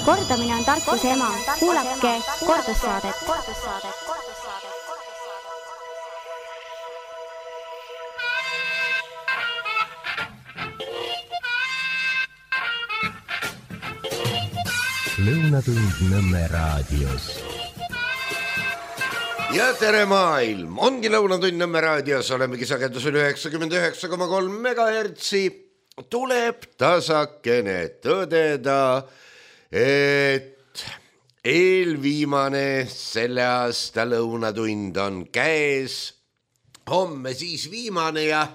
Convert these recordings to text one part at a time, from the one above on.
Kordamine on tarkuse ema. Kuulake kordussaadet. Lõunatund Nõmme raadios. Ja tere maailm! Ongi Lõunatund Nõmme raadios, olemegi sagedusel 99,3 megahertsi. Tuleb tasakene tõdeda, et eelviimane selle aasta lõunatund on käes. Homme siis viimane ja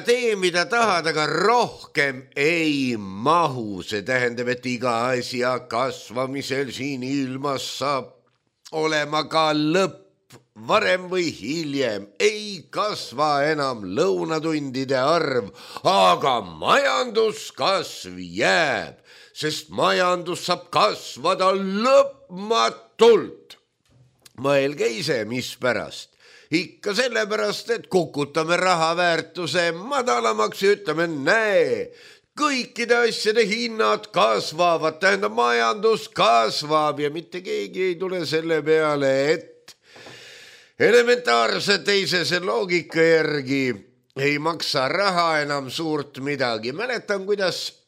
tee, mida tahad, aga rohkem ei mahu. See tähendab, et iga asja kasvamisel siin ilmas saab olema ka lõpp. Varem või hiljem ei kasva enam lõunatundide arv, aga majanduskasv jääb, sest majandus saab kasvada lõpmatult. Mõelge ise, mispärast. Ikka sellepärast, et kukutame raha väärtuse madalamaks ja ütleme, näe, kõikide asjade hinnad kasvavad, tähendab majandus kasvab ja mitte keegi ei tule selle peale, et elementaarse teisese loogika järgi ei maksa raha enam suurt midagi. Mäletan, kuidas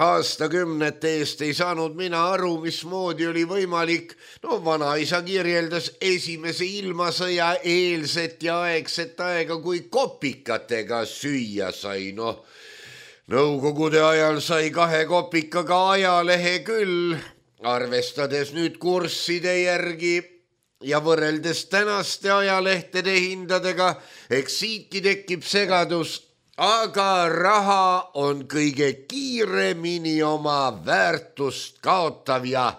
aastakümnete eest ei saanud mina aru, mismoodi oli võimalik. Vanaisa kirjeldas esimese ilmasõja eelset ja aegset aega, kui kopikatega süüa sai. Nõukogude ajal sai 2 kopikaga ajalehe küll, arvestades nüüd kursside järgi ja võrreldes tänaste ajalehtede hindadega, eks siitki tekib segadus, aga raha on kõige kiiremini oma väärtust kaotav ja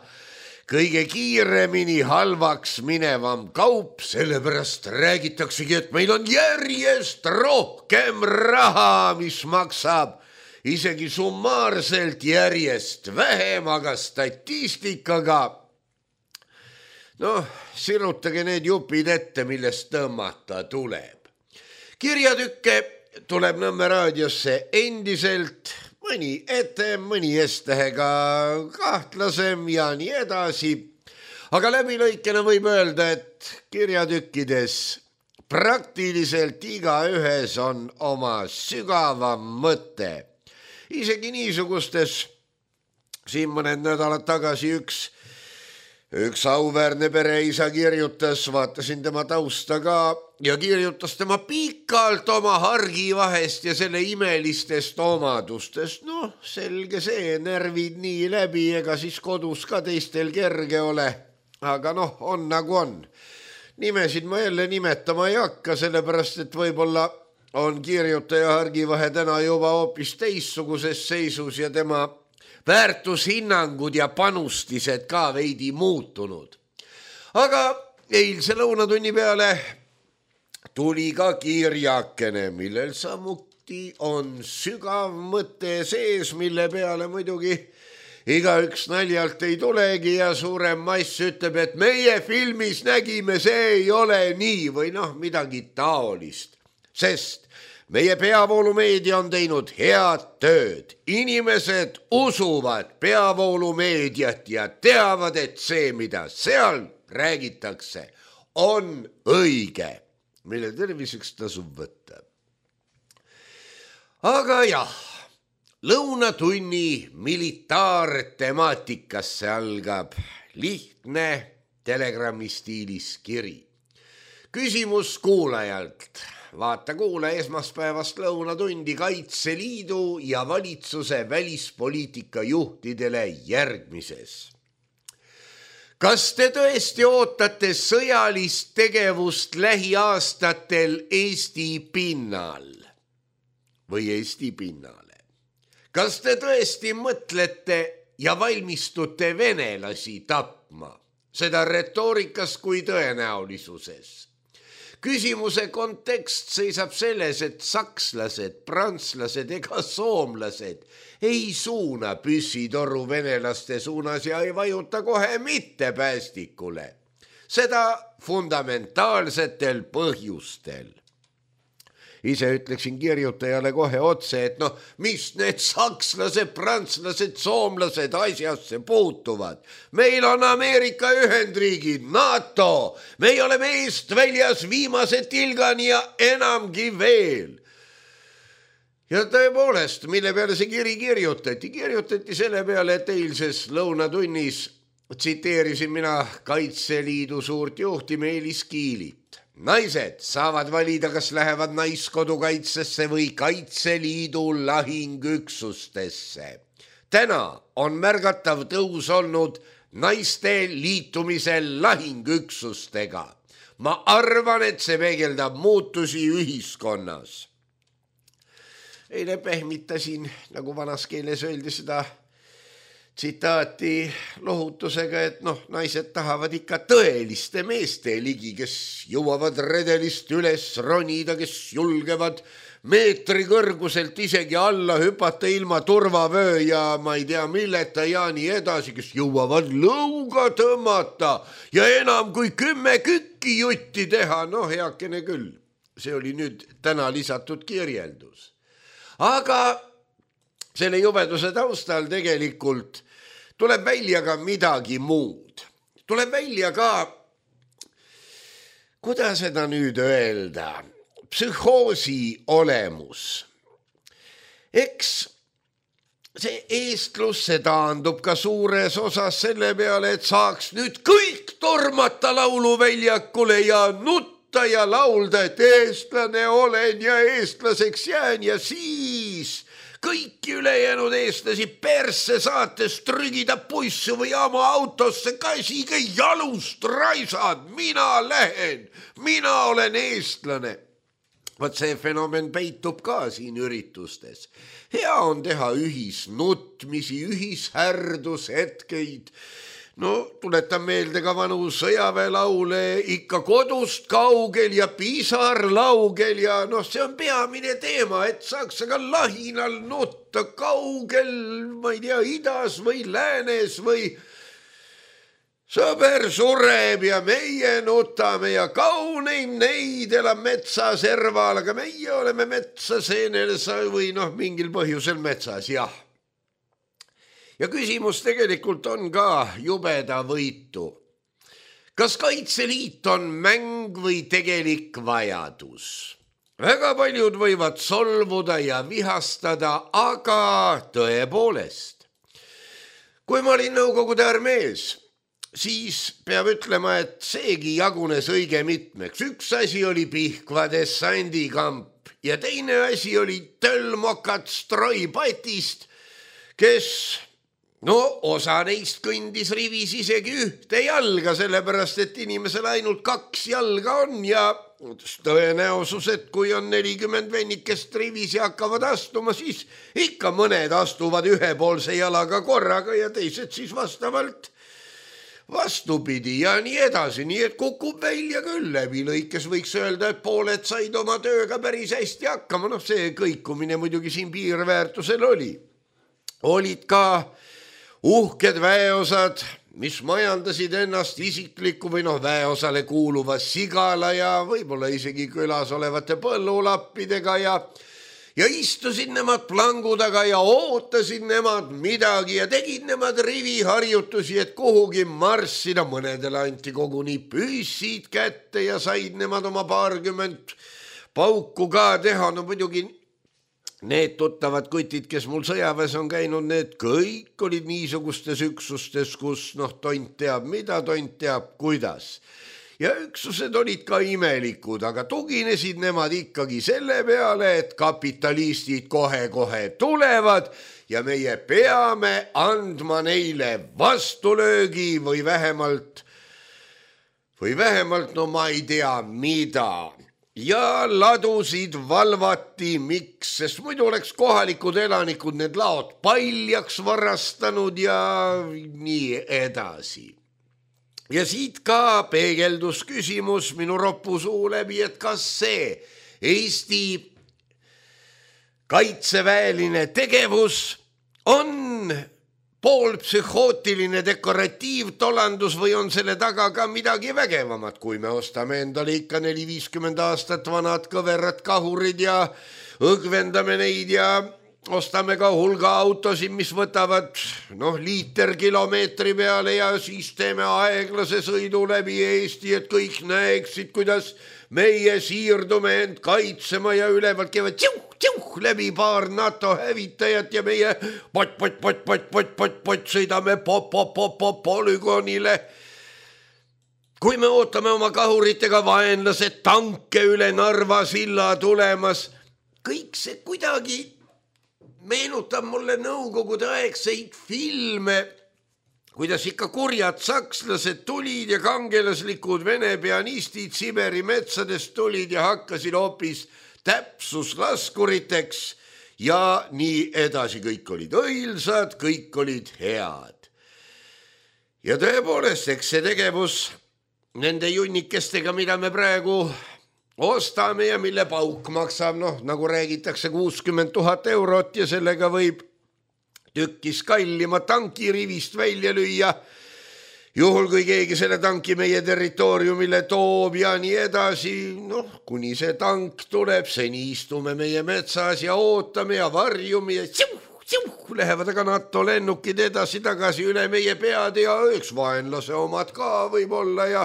kõige kiiremini halvaks minevam kaup, sellepärast räägitaksegi, et meil on järjest rohkem raha, mis maksab isegi summaarselt järjest vähem, aga statistikaga sirutage need jupid ette, millest tõmmata tuleb. Kirjatükke tuleb Nõmme raadiosse endiselt, mõni ette, mõni S-tähega kahtlasem ja nii edasi. Aga läbilõikena võib öelda, et kirjatükkides praktiliselt igaühes on oma sügavam mõte. Isegi niisugustes, siin mõned nädalad tagasi üks auväärne pereisa kirjutas, vaatasin tema tausta ka ja kirjutas tema pikalt oma hargivahest ja selle imelistest omadustest. Selge see, närvid nii läbi, ega siis kodus ka teistel kerge ole. Aga on nagu on. Nimesid ma jälle nimetama ei hakka, sellepärast, et võib-olla on kirjutaja hargivahe täna juba hoopis teistsuguses seisus ja tema väärtushinnangud ja panustised ka veidi muutunud. Aga eilse lõunatunni peale tuli ka kirjakene, millel samuti on sügav mõte sees, mille peale muidugi igaüks naljalt ei tulegi ja suurem mass ütleb, et meie filmis nägime, see ei ole nii või midagi taolist, sest meie peavoolumeedia on teinud head tööd. Inimesed usuvad peavoolumeediat ja teavad, et see, mida seal räägitakse, on õige, mille terviseks tasub võtta. Aga jah, lõunatunni militaartemaatikasse algab lihtne Telegrami stiilis kiri. Küsimus kuulajalt. Vaata kuule esmaspäevast lõunatundi Kaitseliidu ja valitsuse välispoliitika juhtidele järgmises. Kas te tõesti ootate sõjalist tegevust lähiaastatel Eesti pinnal või Eesti pinnale? Kas te tõesti mõtlete ja valmistute venelasi tapma, seda retoorikas kui tõenäolisuses? Küsimuse kontekst seisab selles, et sakslased, prantslased ega soomlased ei suuna püssitoru venelaste suunas ja ei vajuta kohe mitte päästikule. Seda fundamentaalsetel põhjustel. ise ütleksin kirjutajale kohe otse, et noh, mis need sakslased, prantslased, soomlased asjasse puutuvad. Meil on Ameerika Ühendriigid, NATO, me oleme eest väljas viimase tilgani ja enamgi veel. Ja tõepoolest, mille peale see kiri kirjutati? Kirjutati selle peale, et eilses lõunatunnis tsiteerisin mina Kaitseliidu suurt juhti Meelis Kiilit. Naised saavad valida, kas lähevad naiskodukaitsesse või Kaitseliidu lahingüksustesse. Täna on märgatav tõus olnud naiste liitumisel lahingüksustega. Ma arvan, et see peegeldab muutusi ühiskonnas. Eile pehmitasin, nagu vanas keeles öeldi, seda tsitaati lohutusega, et naised tahavad ikka tõeliste meeste ligi, kes jõuavad redelist üles ronida, kes julgevad meetri kõrguselt isegi alla hüpata ilma turvavöö ja ma ei tea milleta ja nii edasi, kes jõuavad lõuga tõmmata ja enam kui 10 kükki jutti teha. Heakene küll, see oli nüüd täna lisatud kirjeldus. Aga selle jubeduse taustal tegelikult tuleb välja ka midagi muud. Tuleb välja ka, kuidas seda nüüd öelda, psühhoosi olemus. Eks see eestlus, see taandub ka suures osas selle peale, et saaks nüüd kõik tormata lauluväljakule ja nutta ja laulda, et eestlane olen ja eestlaseks jään ja siis kõiki ülejäänud eestlasi persse saates trügida pussu või oma autosse käsiga jalust raisad. Mina lähen, mina olen eestlane. Vaat see fenomen peitub ka siin üritustes. Hea on teha ühisnutmisi, ühishärdushetkeid. Tuletan meelde ka vanu sõjaväelaule ikka kodust kaugel ja pisarlaugel ja see on peamine teema, et saaks aga lahinal nutta kaugel, ma ei tea, idas või läänes või sõber sureb ja meie nutame ja kauneim neid elab metsas serval, aga meie oleme metsaseenel või mingil põhjusel metsas, jah. Ja küsimus tegelikult on ka jubeda võitu. Kas Kaitseliit on mäng või tegelik vajadus? Väga paljud võivad solvuda ja vihastada, aga tõepoolest. Kui ma olin Nõukogude armees, siis peab ütlema, et seegi jagunes õige mitmeks. Üks asi oli Pihkva dessandikamp ja teine asi oli tölmokat Stroi-Patist, kes osa neist kõndis rivis isegi ühte jalga, sellepärast et inimesel ainult 2 jalga on ja tõenäosus, et kui on 40 vennikest rivis ja hakkavad astuma, siis ikka mõned astuvad ühepoolse jalaga korraga ja teised siis vastavalt vastupidi ja nii edasi, nii et kukub välja küll läbi lõikes, võiks öelda, et pooled said oma tööga päris hästi hakkama. See kõikumine muidugi siin piirväärtusel oli. Olid ka uhked väeosad, mis majandasid ennast isikliku või väeosale kuuluva sigala ja võib-olla isegi külas olevate põllulappidega ja istusid nemad plangu taga ja ootasid nemad midagi ja tegid nemad riviharjutusi, et kuhugi marssida. Mõnedele anti koguni püssid kätte ja said nemad oma 20 pauku ka teha. Muidugi need tuttavad kutid, kes mul sõjaväes on käinud, need kõik olid niisugustes üksustes, kus tont teab mida, tont teab kuidas. Ja üksused olid ka imelikud, aga tuginesid nemad ikkagi selle peale, et kapitalistid kohe-kohe tulevad ja meie peame andma neile vastulöögi või vähemalt, ma ei tea mida. Ja ladusid valvati, miks, sest muidu oleks kohalikud elanikud need laod paljaks varastanud ja nii edasi. Ja siit ka peegeldus küsimus minu roppu suu läbi, et kas see Eesti kaitseväeline tegevus on poolpsühhootiline dekoratiivtolandus või on selle taga ka midagi vägevamat, kui me ostame endale ikka 4-50 aastat vanad kõverad kahurid ja õgvendame neid ja ostame ka hulga autosid, mis võtavad liiter kilomeetri peale ja siis teeme aeglase sõidu läbi Eesti, et kõik näeksid, kuidas meie siirdume end kaitsema ja ülevalt käivad tšuh läbi paar NATO hävitajat ja meie pot sõidame polügoonile. Kui me ootame oma kahuritega vaenlased tanke üle Narva silla tulemas, kõik see kuidagi meenutab mulle nõukogude aegseid filme, kuidas ikka kurjad sakslased tulid ja kangelaslikud vene pianistid Siberi metsadest tulid ja hakkasid hoopis täpsuslaskuriteks ja nii edasi. Kõik olid õilsad, kõik olid head. Ja tõepoolest, eks see tegevus nende junnikestega, mida me praegu ostame ja mille pauk maksab, nagu räägitakse 60 000 eurot ja sellega võib tükkis kallima tanki rivist välja lüüa, juhul kui keegi selle tanki meie territooriumile toob ja nii edasi. Kuni see tank tuleb, seni istume meie metsas ja ootame ja varjume ja lähevad aga NATO lennukid edasi-tagasi üle meie pead ja üks vaenlase omad ka võib-olla ja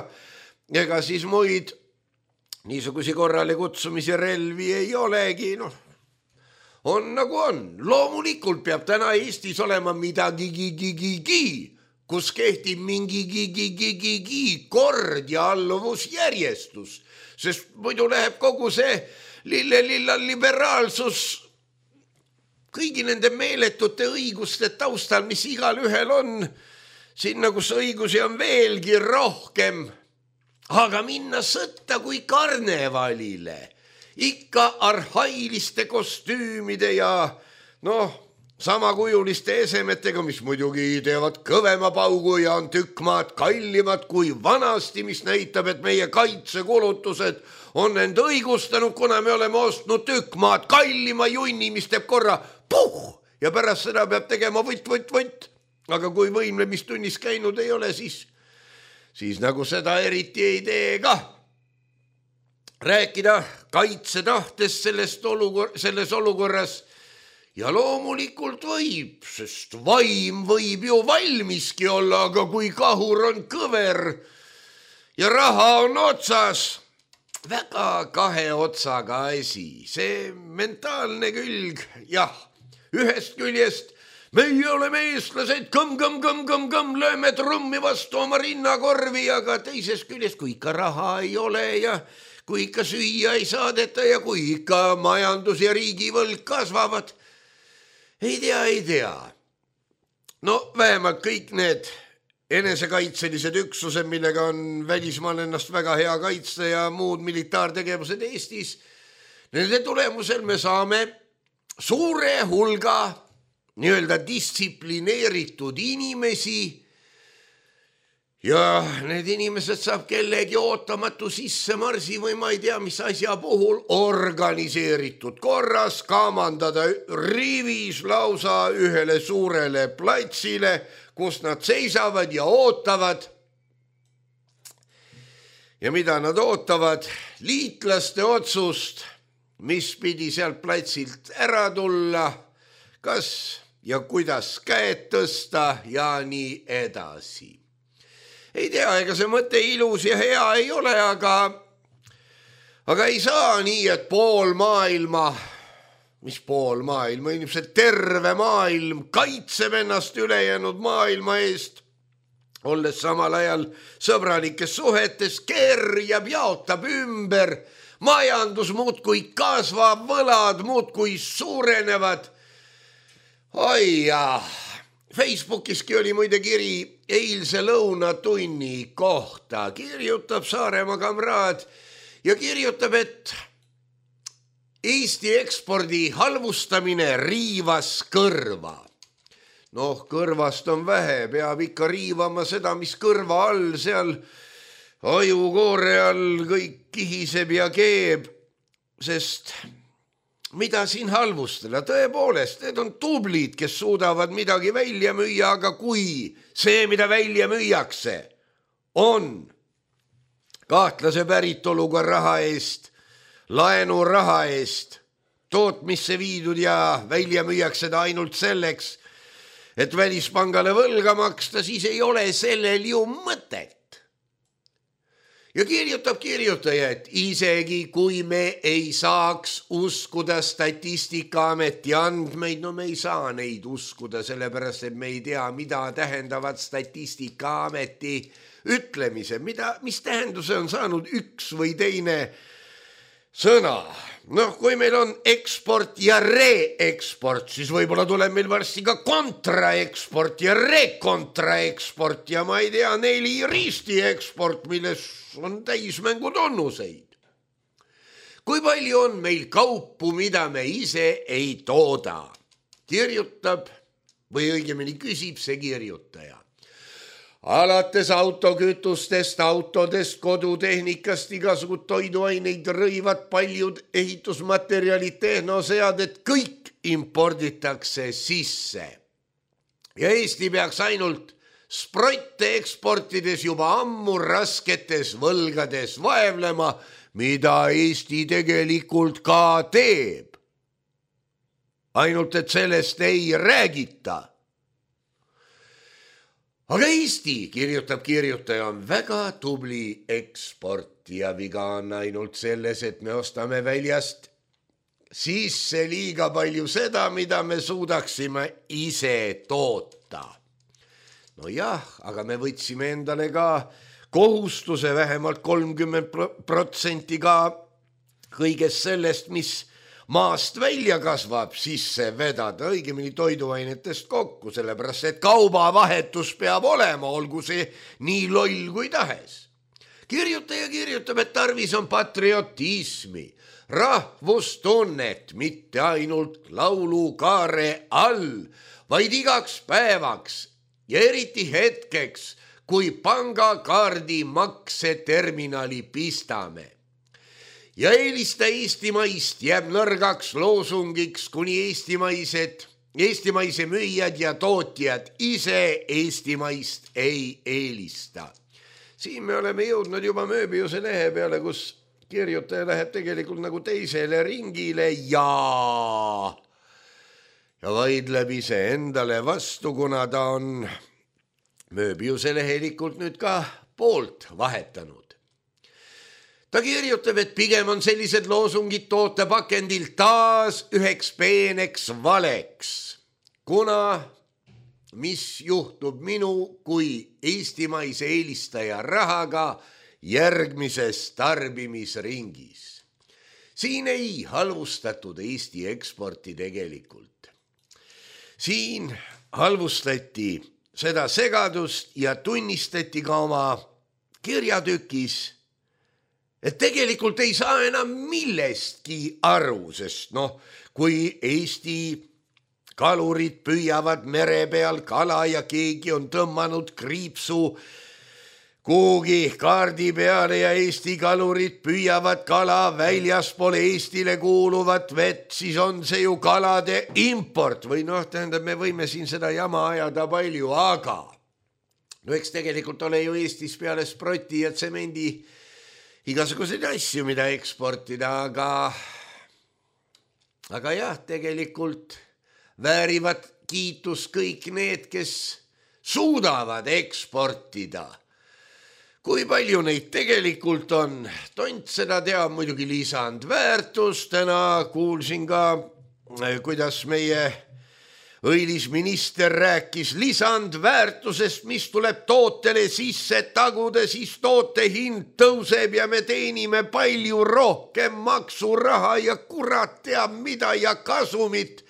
ega siis muid niisugusi korrale kutsumise relvi ei olegi, on nagu on. Loomulikult peab täna Eestis olema midagi, kus kehtib mingi kord ja alluvusjärjestus, sest muidu läheb kogu see lilla liberaalsus kõigi nende meeletute õiguste taustal, mis igal ühel on, sinna, kus õigusi on veelgi rohkem. Aga minna sõtta kui karnevalile, ikka arhailiste kostüümide ja samakujuliste esemetega, mis muidugi teevad kõvema paugu ja on tükk maad kallimad kui vanasti, mis näitab, et meie kaitsekulutused on end õigustanud, kuna me oleme ostnud tükk maad kallima junni, mis teeb korra puh ja pärast seda peab tegema võtt. Aga kui võimlemistunnis käinud ei ole, siis nagu seda eriti ei tee ka. Rääkida kaitsetahtest selles olukorras ja loomulikult võib, sest vaim võib ju valmiski olla, aga kui kahur on kõver ja raha on otsas, väga kahe otsaga asi, see mentaalne külg, jah, ühest küljest meie oleme eestlased, kõmm, lööme trummi vastu oma rinnakorvi, aga teisest küljest, kui ikka raha ei ole ja kui ikka süüa ei saadeta ja kui ikka majandus ja riigivõlg kasvavad, ei tea. Vähemalt kõik need enesekaitselised üksused, millega on välismaal ennast väga hea kaitsta ja muud militaartegevused Eestis, nende tulemusel me saame suure hulga nii-öelda distsiplineeritud inimesi ja need inimesed saab kellegi ootamatu sissemarsi või ma ei tea, mis asja puhul organiseeritud korras kamandada rivis lausa ühele suurele platsile, kus nad seisavad ja ootavad. Ja mida nad ootavad? Liitlaste otsust, mis pidi sealt platsilt ära tulla, kas ja kuidas käed tõsta ja nii edasi. Ei tea, ega see mõte ilus ja hea ei ole, aga ei saa nii, et pool maailma, inimesed terve maailm kaitseb ennast ülejäänud maailma eest, olles samal ajal sõbralikes suhetes, kerjab, jaotab ümber, majandus muudkui kasvab, võlad muudkui suurenevad. Oi jah, Facebookiski oli muide kiri eilse lõunatunni kohta. Kirjutab Saaremaa kamraad ja kirjutab, et Eesti ekspordi halvustamine riivas kõrva. Kõrvast on vähe, peab ikka riivama seda, mis kõrva all, seal ajukoore all kõik kihiseb ja keeb, sest mida siin halvustada, tõepoolest, need on tublid, kes suudavad midagi välja müüa, aga kui see, mida välja müüakse, on kahtlase päritoluga raha eest, laenuraha eest, tootmisse viidud ja välja müüakse ta ainult selleks, et välispangale võlga maksta, siis ei ole sellel ju mõtet. Ja kirjutab kirjutaja, et isegi kui me ei saaks uskuda Statistikaameti andmeid, no me ei saa neid uskuda, sellepärast et me ei tea, mida tähendavad Statistikaameti ütlemise, mis tähenduse on saanud üks või teine sõna. Noh, kui meil on eksport ja reeksport, siis võib-olla tuleb meil varsti ka kontraeksport ja rekontraeksport ja ma ei tea, 4 ristieksport, milles on täismängu tunnuseid. Kui palju on meil kaupu, mida me ise ei tooda? Kirjutab või õigemini küsib see kirjutaja. Alates autokütustest, autodest, kodutehnikast, igasugud toiduaineid, rõivad, paljud ehitusmaterjalid, tehnoseaded, kõik imporditakse sisse. Ja Eesti peaks ainult sprotte eksportides juba ammu rasketes võlgades vaevlema, mida Eesti tegelikult ka teeb. Ainult, et sellest ei räägita. Aga Eesti, kirjutab kirjutaja, on väga tubli eksportija. Viga on ainult selles, et me ostame väljast sisse liiga palju seda, mida me suudaksime ise toota. No jah, aga me võtsime endale ka kohustuse vähemalt 30% ka kõigest sellest, mis maast välja kasvab, sisse vedada, õigemini toiduainetest kokku, sellepärast et kaubavahetus peab olema, olgu see nii loll kui tahes. Kirjutaja kirjutab, et tarvis on patriotismi, rahvustunnet, mitte ainult laulukaare all, vaid igaks päevaks ja eriti hetkeks, kui pangakaardi makseterminali pistame. Ja eelista eestimaist jääb nõrgaks loosungiks, kuni eestimaise müüjad ja tootjad ise eestimaist ei eelista. Siin me oleme jõudnud juba Mööbiuse lehe peale, kus kirjutaja läheb tegelikult nagu teisele ringile ja vaidleb ise endale vastu, kuna ta on Mööbiuse lehelikult nüüd ka poolt vahetanud. Ta kirjutab, et pigem on sellised loosungid tootepakendil taas üheks peeneks valeks, kuna mis juhtub minu kui eestimaise eelistaja rahaga järgmises tarbimisringis. Siin ei halvustatud Eesti eksporti tegelikult. Siin halvustati seda segadust ja tunnistati ka oma kirjatükis, et tegelikult ei saa enam millestki aru, sest kui Eesti kalurid püüavad mere peal kala ja keegi on tõmmanud kriipsu kuhugi kaardi peale ja Eesti kalurid püüavad kala väljaspool Eestile kuuluvat vett, siis on see ju kalade import või tähendab, me võime siin seda jama ajada palju, aga eks tegelikult ole ju Eestis peale sproti ja tsemendi igasuguseid asju, mida eksportida, aga jah, tegelikult väärivad kiitus kõik need, kes suudavad eksportida. Kui palju neid tegelikult on? Tont seda teab muidugi lisandväärtus. Täna kuulsin ka, kuidas meie õilisminister rääkis lisandväärtusest, mis tuleb tootele sisse taguda, siis toote hind tõuseb ja me teenime palju rohkem maksuraha ja kurat teab mida ja kasumit.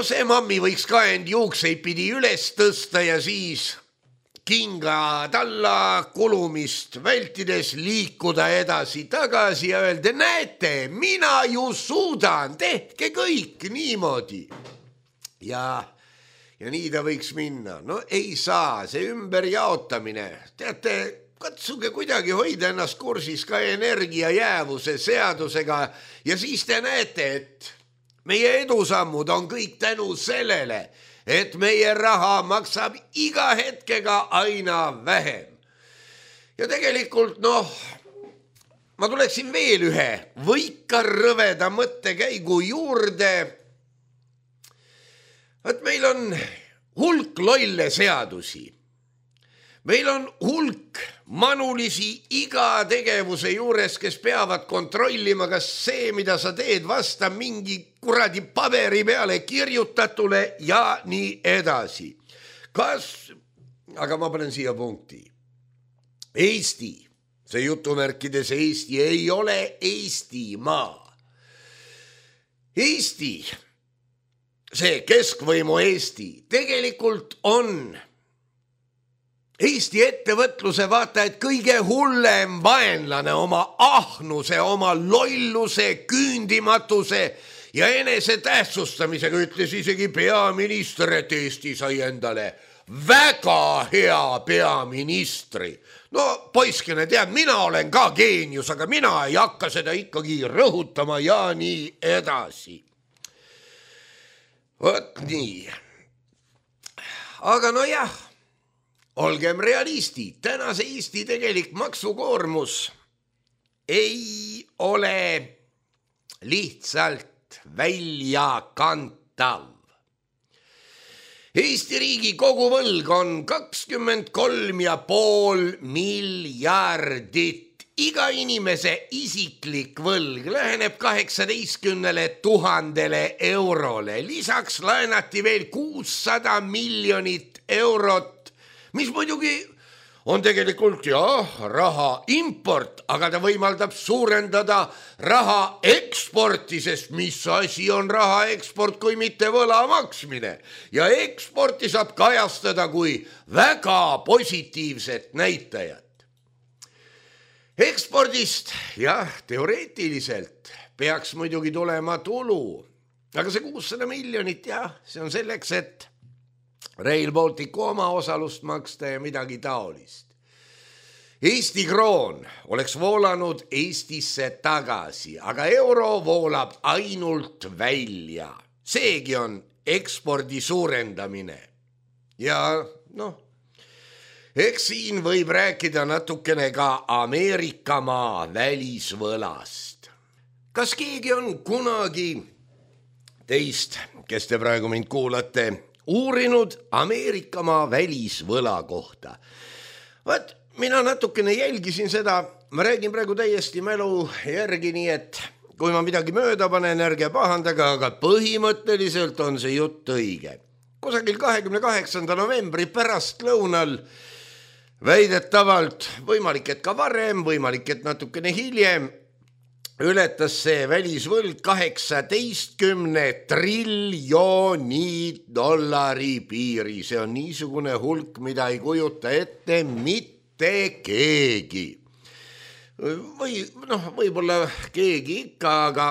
See mammi võiks ka end juukseid pidi üles tõsta ja siis kinga talla kulumist vältides liikuda edasi-tagasi ja öelda, näete, mina ju suudan, tehke kõik niimoodi. Ja nii ta võiks minna. Ei saa, see ümberjaotamine. Teate, katsuge kuidagi hoida ennast kursis ka energia jäävuse seadusega ja siis te näete, et meie edusammud on kõik tänu sellele, et meie raha maksab iga hetkega aina vähem. Ja tegelikult ma tuleksin veel ühe võika rõveda mõttekäigu juurde. Et meil on hulk lolle seadusi. Meil on hulk manulisi iga tegevuse juures, kes peavad kontrollima, kas see, mida sa teed, vastab mingi kuradi paberi peale kirjutatule ja nii edasi. Aga ma panen siia punkti. Eesti, see jutumärkides Eesti, ei ole Eestimaa. Eesti, see keskvõimu Eesti, tegelikult on Eesti ettevõtluse vaata, et kõige hullem vaenlane oma ahnuse, oma lolluse, küündimatuse ja enese tähtsustamisega ütles isegi peaminister, et Eesti sai endale väga hea peaministri. Poiskene, tead, mina olen ka geenius, aga mina ei hakka seda ikkagi rõhutama ja nii edasi. Vot nii. Aga jah. Olgem realistid, tänase Eesti tegelik maksukoormus ei ole lihtsalt väljakantav. Eesti riigi koguvõlg on 23,5 miljardit. Iga inimese isiklik võlg läheneb 18 000 eurole. Lisaks laenati veel 600 miljonit eurot, mis muidugi on tegelikult raha import, aga ta võimaldab suurendada raha eksporti, sest mis asi on raha eksport, kui mitte võla maksmine. Ja eksporti saab kajastada kui väga positiivset näitajat. Ekspordist, teoreetiliselt peaks muidugi tulema tulu, aga see 600 miljonit, see on selleks, et Rail Balticu oma osalust maksta ja midagi taolist. Eesti kroon oleks voolanud Eestisse tagasi, aga euro voolab ainult välja. Seegi on ekspordi suurendamine. Ja eks siin võib rääkida natukene ka Ameerikamaa välisvõlast. Kas keegi on kunagi teist, kes te praegu mind kuulate, uurinud Ameerikamaa välisvõla kohta? Vaat, mina natukene jälgisin seda, ma räägin praegu täiesti mälu järgi, nii et kui ma midagi mööda panen, ärge pahandage, aga põhimõtteliselt on see jutt õige. Kusagil 28. novembri pärastlõunal väidetavalt, võimalik, et ka varem, võimalik, et natukene hiljem, ületas see välisvõlg 18 triljoni dollari piiri. See on niisugune hulk, mida ei kujuta ette mitte keegi. Võib-olla keegi ikka, aga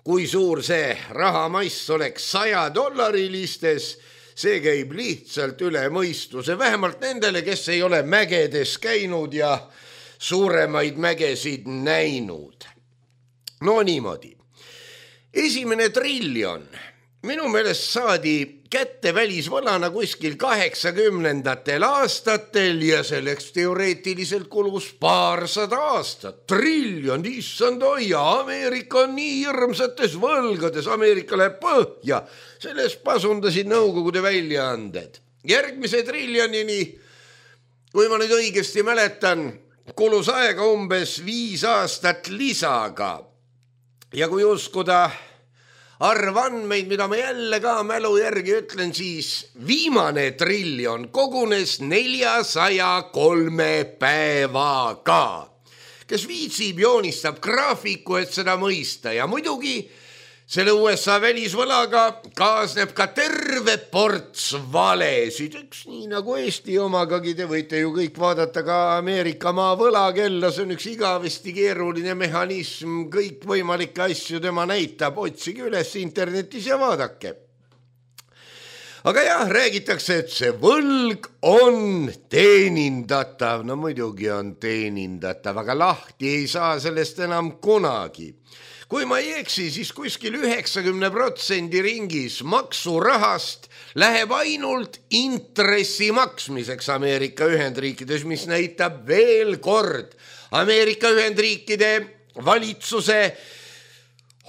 kui suur see rahamass oleks $100, see käib lihtsalt üle mõistuse, vähemalt nendele, kes ei ole mägedes käinud ja suuremaid mägesid näinud. Niimoodi. Esimene triljon minu meelest saadi kätte välisvõlana kuskil 80. aastatel ja selleks teoreetiliselt kulus paarsada aastat. Triljon, issand hoia, Ameerika on nii hirmsates võlgades, Ameerika läheb põhja. Sellest pasundasid Nõukogude väljaanded. Järgmise triljonini, kui ma nüüd õigesti mäletan, kulus aega umbes 5 aastat lisaga. Ja kui uskuda arvandmeid, mida ma jälle ka mälu järgi ütlen, siis viimane triljon kogunes 403 päevaga. Kes viitsib, joonistab graafiku, et seda mõista ja muidugi selle USA välisvõlaga kaasneb ka terve ports valesid. Üks nii nagu Eesti omagagi, te võite ju kõik vaadata ka Ameerikamaa võlakella, see on üks igavesti keeruline mehhanism, kõik võimalikke asju tema näitab, otsige üles internetis ja vaadake. aga jah, räägitakse, et see võlg on teenindatav. No muidugi on teenindatav, aga lahti ei saa sellest enam kunagi. Kui ma ei eksi, siis kuskil 90% ringis maksurahast läheb ainult intressi maksmiseks Ameerika Ühendriikides, mis näitab veel kord Ameerika Ühendriikide valitsuse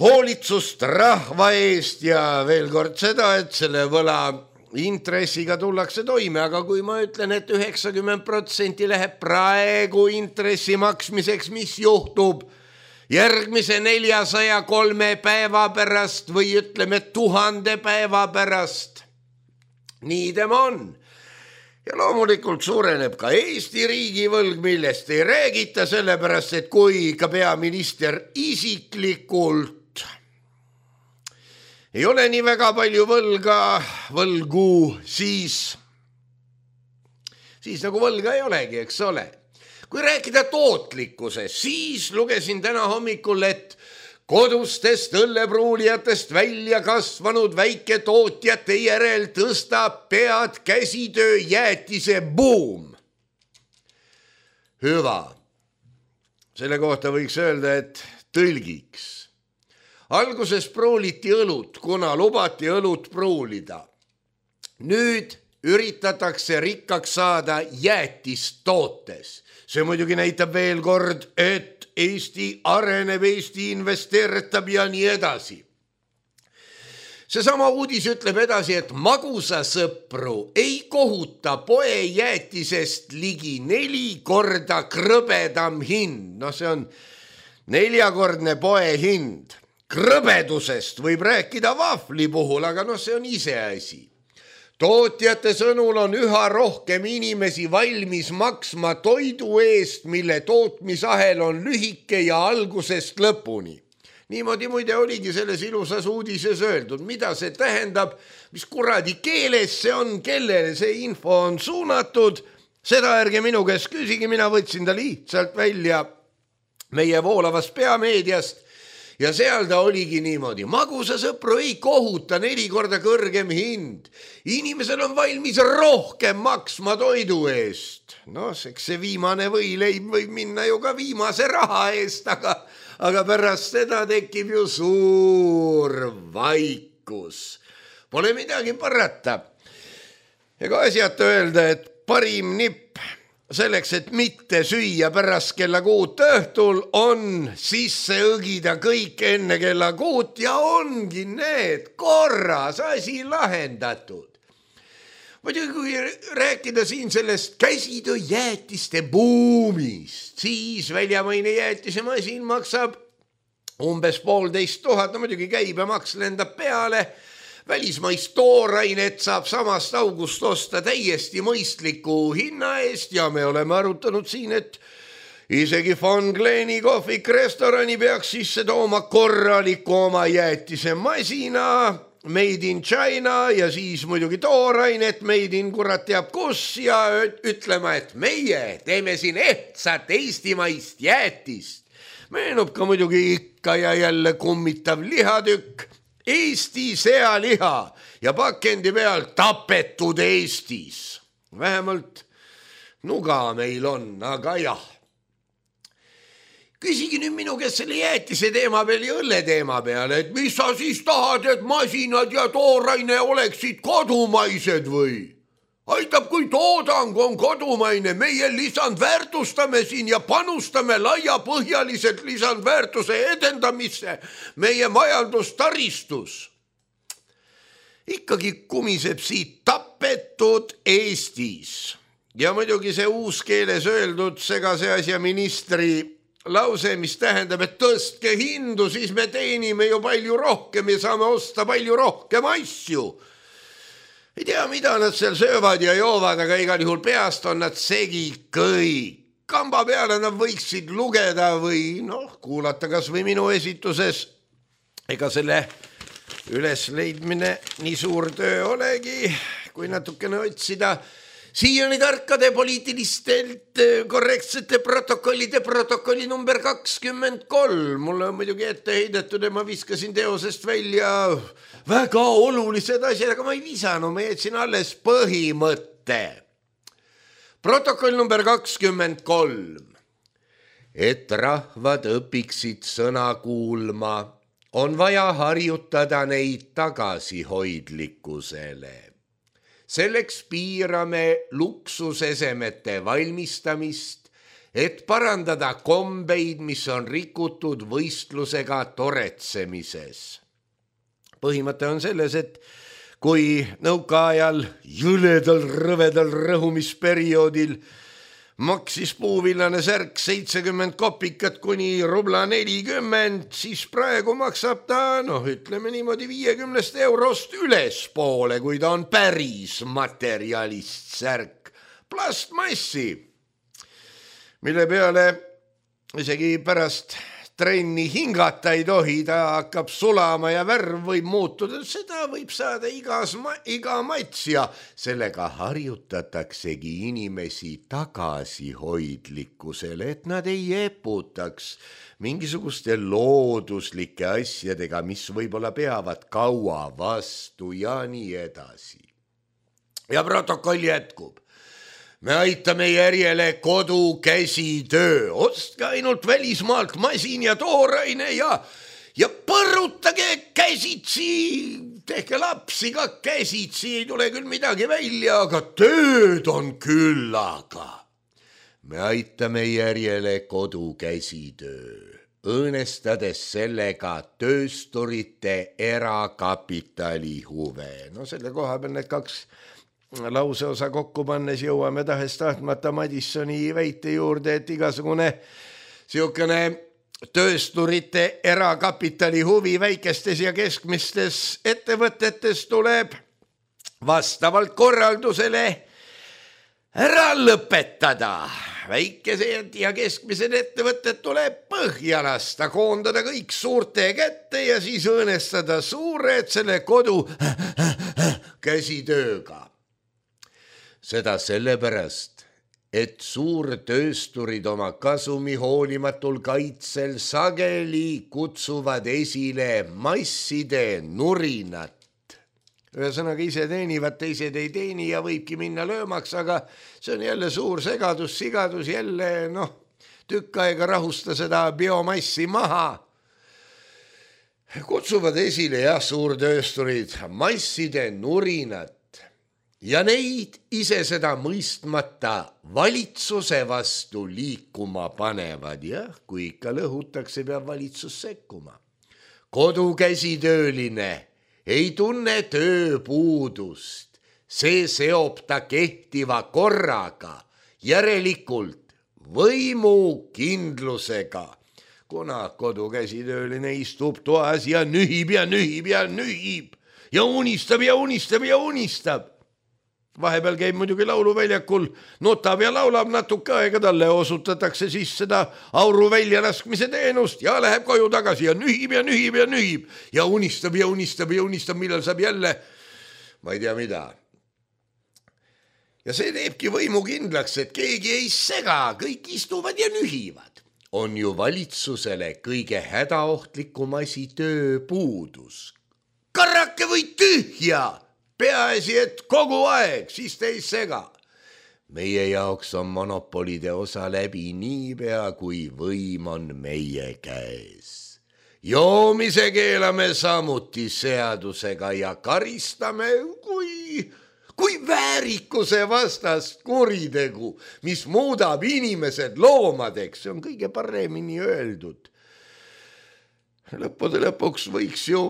hoolitsust rahva eest ja veel kord seda, et selle võla intressiga tullakse toime, aga kui ma ütlen, et 90% läheb praegu intressi maksmiseks, mis juhtub järgmise 403 päeva pärast või ütleme 1000 päeva pärast? Nii tema on. Ja loomulikult suureneb ka Eesti riigivõlg, millest ei räägita, sellepärast, et kui ka peaminister isiklikult ei ole nii väga palju võlgu, siis nagu võlga ei olegi, eks ole. Kui rääkida tootlikkusest, siis lugesin täna hommikul, et kodustest õllepruulijatest välja kasvanud väiketootjate järel tõstab pead käsitöö jäätise buum. Hüva. Selle kohta võiks öelda, et tõlgiks. Alguses pruuliti õlut, kuna lubati õlut pruulida. Nüüd üritatakse rikkaks saada jäätistootes. See muidugi näitab veel kord, et Eesti areneb, Eesti investeeritab ja nii edasi. Seesama uudis ütleb edasi, et magusasõpru ei kohuta poejäätisest ligi 4 korda krõbedam hind. No see on 4-kordne poehind. Krõbedusest võib rääkida vahvli puhul, aga see on iseasi. Tootjate sõnul on üha rohkem inimesi valmis maksma toidu eest, mille tootmisahel on lühike ja algusest lõpuni. Niimoodi muide oligi selles ilusas uudises öeldud. Mida see tähendab, mis kuradi keeles see on, kellele see info on suunatud, seda ärge minu käest küsigi, mina võtsin ta lihtsalt välja meie voolavast peameediast. Ja seal ta oligi niimoodi. Magusasõpru ei kohuta 4 korda kõrgem hind. Inimesel on valmis rohkem maksma toidu eest. See viimane võileib võib minna ju ka viimase raha eest, aga pärast seda tekib ju suur vaikus. Pole midagi parata. Ega asjata öelda, et parim nipp selleks, et mitte süüa pärast kella 6 õhtul, on sisse õgida kõik enne kella 6 ja ongi need korras asi lahendatud. Muidugi kui rääkida siin sellest käsitöö jäätiste buumist, siis väljamaine jäätisemasin maksab umbes 1500, muidugi käibemaks lendab peale. Välismaist toorainet saab samast august osta täiesti mõistliku hinna eest ja me oleme arutanud siin, et isegi Von Gleni kohvik restorani peaks sisse tooma korraliku oma jäätisemasina, made in China ja siis muidugi toorainet made in kurat teab kus ja ütlema, et meie teeme siin ehtsat eestimaist jäätist. Meenub ka muidugi ikka ja jälle kummitav lihatükk, Eesti sealiha ja pakendi peal tapetud Eestis. Vähemalt nuga meil on, aga jah. Küsigi nüüd minu käest selle jäätise teema peal ja õlle teema peale, et mis sa siis tahad, et masinad ja tooraine oleksid kodumaised või? Aitab, kui toodang on kodumaine, meie lisandväärtustame siin ja panustame laiapõhjaliselt lisandväärtuse edendamisse meie majandustaristus. Ikkagi kumiseb siit tapetud Eestis. Ja muidugi see uus keeles öeldud segase asja ministri lause, mis tähendab, et tõstke hindu, siis me teenime ju palju rohkem ja saame osta palju rohkem asju. Ei tea, mida nad seal söövad ja joovad, aga igal juhul peast on nad segi kõik. Kamba peale nad võiksid lugeda või kuulata kas või minu esituses. Ega selle ülesleidmine nii suur töö olegi, kui natukene otsida. siiani tarkade poliitilistelt korrektsete protokolli number 23. Mulle on muidugi ette heidetud ja ma viskasin teosest välja väga olulised asjad, aga ma ei visanud, ma jätsin alles põhimõtte. Protokoll number 23. Et rahvad õpiksid sõna kuulma, on vaja harjutada neid tagasihoidlikkusele. Selleks piirame luksusesemete valmistamist, et parandada kombeid, mis on rikutud võistlusega toretsemises. Põhimõte on selles, et kui nõukaajal jõledal rõvedal rõhumisperioodil maksis puuvillane särk 70 kopikat kuni rubla 40, siis praegu maksab ta, ütleme niimoodi 50 eurost ülespoole, kui ta on päris materjalist särk, plastmassi, mille peale isegi pärast trenni hingata ei tohi, ta hakkab sulama ja värv võib muutuda, seda võib saada iga mats ja sellega harjutataksegi inimesi tagasihoidlikkusele, et nad ei eputaks mingisuguste looduslike asjadega, mis võib-olla peavad kaua vastu ja nii edasi. Ja protokoll jätkub. Me aitame järjele kodukäsitöö, ostke ainult välismaalt masin ja tooraine ja põrutage käsitsi, tehke lapsi ka käsitsi, ei tule küll midagi välja, aga tööd on küllaga. Me aitame järjele kodukäsitöö, õõnestades sellega töösturite erakapitali huve. Selle koha peal need kaks lauseosa kokku pannes jõuame tahes-tahtmata Madissoni väite juurde, et igasugune siukene töösturite erakapitali huvi väikestes ja keskmistes ettevõtetes tuleb vastavalt korraldusele ära lõpetada. Väikesed ja keskmised ettevõtted tuleb põhja lasta, koondada kõik suurte kätte ja siis õõnestada suured selle kodu käsitööga. Seda sellepärast, et suurtöösturid oma kasumi hoolimatul kaitsel sageli kutsuvad esile masside nurinat. Ühesõnaga ise teenivad, teised ei teeni ja võibki minna löömaks, aga see on jälle suur segadus, sigadus, jälle tükk aega rahusta seda biomassi maha. Kutsuvad esile suurtöösturid masside nurinat. Ja neid ise seda mõistmata valitsuse vastu liikuma panevad, kui ikka lõhutakse, peab valitsus sekkuma. Kodukäsitööline ei tunne tööpuudust, see seob ta kehtiva korraga, järelikult võimukindlusega. Kuna kodukäsitööline istub toas ja nühib ja nühib ja nühib ja unistab ja unistab ja unistab. Vahepeal käib muidugi lauluväljakul, notab ja laulab natuke aega, talle osutatakse siis seda auru väljalaskmise teenust ja läheb koju tagasi ja nühib ja nühib ja nühib ja unistab ja unistab ja unistab, millal saab jälle, ma ei tea mida. Ja see teebki võimu kindlaks, et keegi ei sega, kõik istuvad ja nühivad. On ju valitsusele kõige hädaohtlikum asi tööpuudus. Karrake või tühja! Peaasi, et kogu aeg, siis te ei sega. Meie jaoks on monopolide osa läbi niipea, kui võim on meie käes. Joomise keelame samuti seadusega ja karistame kui väärikuse vastast kuritegu, mis muudab inimesed loomadeks. See on kõige paremini öeldud. Lõppude lõpuks võiks ju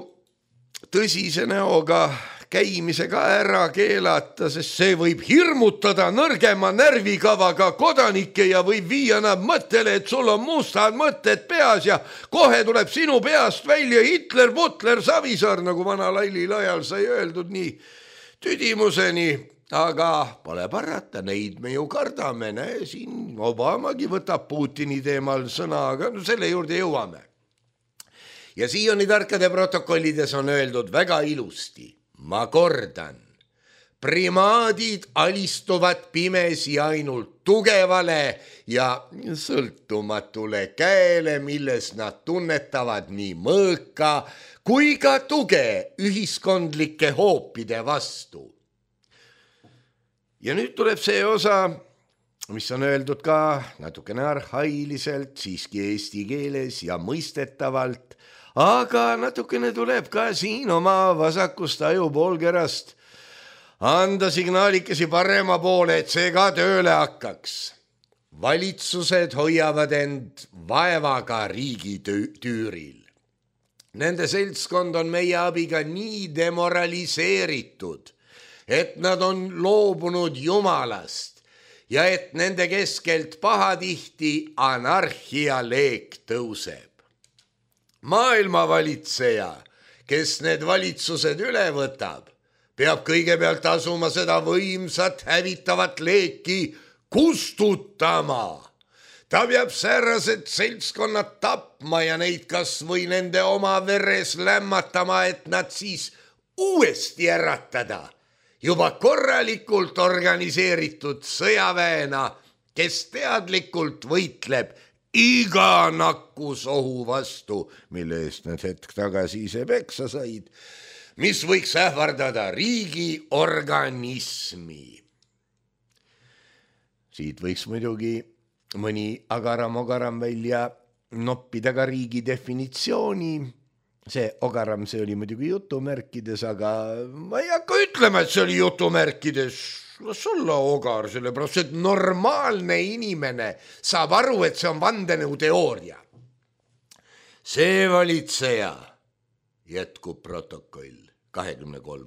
tõsise näoga käimisega ära keelata, sest see võib hirmutada nõrgema närvikavaga kodanikke ja võib viia nad mõttele, et sul on mustad mõtted peas ja kohe tuleb sinu peast välja Hitler, Butler, Savisaar, nagu vana Lailil ajal sai öeldud nii tüdimuseni, aga pole parata, neid me ju kardame, siin Obamagi võtab Putini teemal sõna, aga selle juurde jõuame. Ja siiani tarkade protokollides on öeldud väga ilusti. Ma kordan, primaadid alistuvad pimesi ainult tugevale ja sõltumatule käele, milles nad tunnetavad nii mõõka kui ka tuge ühiskondlike hoopide vastu. Ja nüüd tuleb see osa, mis on öeldud ka natukene arhailiselt, siiski eesti keeles ja mõistetavalt, aga natukene tuleb ka siin oma vasakust ajupoolkerast anda signaalikesi parema poole, et see ka tööle hakkaks. Valitsused hoiavad end vaevaga riigi tüüril. Nende seltskond on meie abiga nii demoraliseeritud, et nad on loobunud Jumalast ja et nende keskelt pahatihti anarhia leek tõuseb. Maailmavalitseja, kes need valitsused üle võtab, peab kõigepealt asuma seda võimsat hävitavat leeki kustutama. Ta peab säärased seltskonnad tapma ja neid kas või nende oma veres lämmatama, et nad siis uuesti äratada juba korralikult organiseeritud sõjaväena, kes teadlikult võitleb iga nakkusohu vastu, mille eest nad hetk tagasi ise peksa said, mis võiks ähvardada riigi organismi. Siit võiks muidugi mõni agaram-ogaram välja noppida ka riigi definitsiooni. See ogaram, see oli muidugi jutumärkides, aga ma ei hakka ütlema, et see oli jutumärkides. Las olla ogar, sellepärast, et normaalne inimene saab aru, et see on vandenõuteooria. See valitseja, jätkub protokoll 23.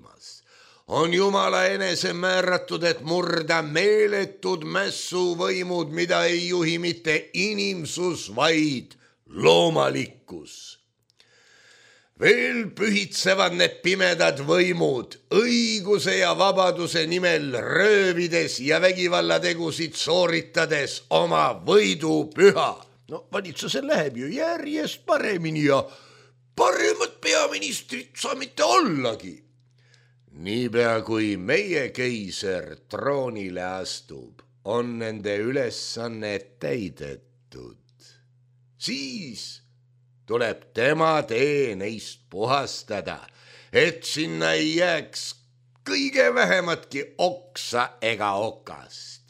on Jumala enese määratud, et murda meeletud mässuvõimud, mida ei juhi mitte inimsus, vaid loomalikkus. Veel pühitsevad need pimedad võimud õiguse ja vabaduse nimel röövides ja vägivallategusid sooritades oma võidupüha. No valitsusel läheb ju järjest paremini ja paremat peaministrit saa mitte ollagi. Niipea kui meie keiser troonile astub, on nende ülesanne täidetud. Siis tuleb tema tee neist puhastada, et sinna ei jääks kõige vähematki oksa ega okast.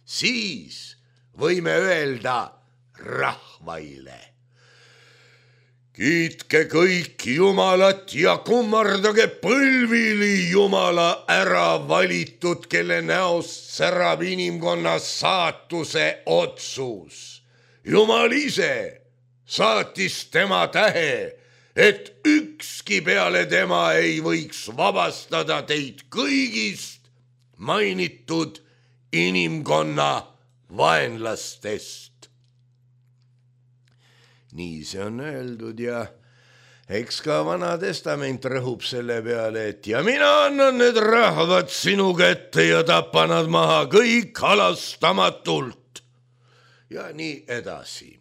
Siis võime öelda rahvaile: kiitke kõik Jumalat ja kummardage põlvili Jumala ära valitud, kelle näost särab inimkonna saatuse otsus. Jumal ise saatis tema tähe, et ükski peale tema ei võiks vabastada teid kõigist mainitud inimkonna vaenlastest. Nii see on öeldud ja eks ka Vana Testament rõhub selle peale, et ja mina annan need rahvad sinu kätte ja tapa nad maha kõik halastamatult ja nii edasi.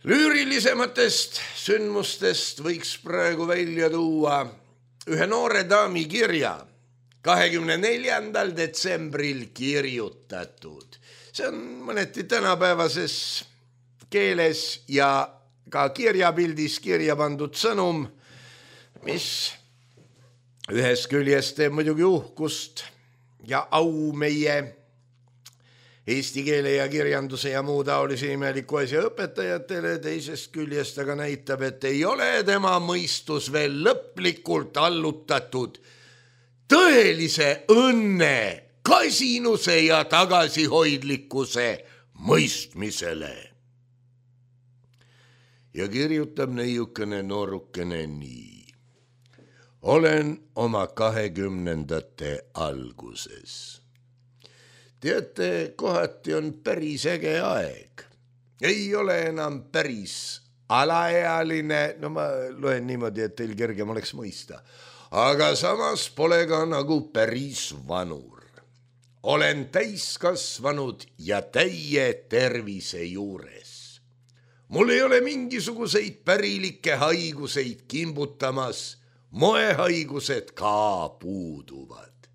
Lüürilisematest sündmustest võiks praegu välja tuua ühe noore daami kirja 24. detsembril kirjutatud. See on mõneti tänapäevases keeles ja ka kirjapildis kirja pandud sõnum, mis ühest küljest teeb muidugi uhkust ja au meie eesti keele ja kirjanduse ja muu taolise imeliku asja õpetajatele, teisest küljest aga näitab, et ei ole tema mõistus veel lõplikult allutatud tõelise õnne, kasinuse ja tagasihoidlikkuse mõistmisele. Ja kirjutab neiukene noorukene nii. Olen oma 20. alguses. Teate, kohati on päris äge aeg. Ei ole enam päris alaealine, no ma loen niimoodi, et teil kergem oleks mõista, aga samas pole ka nagu päris vanur. Olen täiskasvanud ja täie tervise juures. Mul ei ole mingisuguseid pärilikke haiguseid kimbutamas, moehaigused ka puuduvad.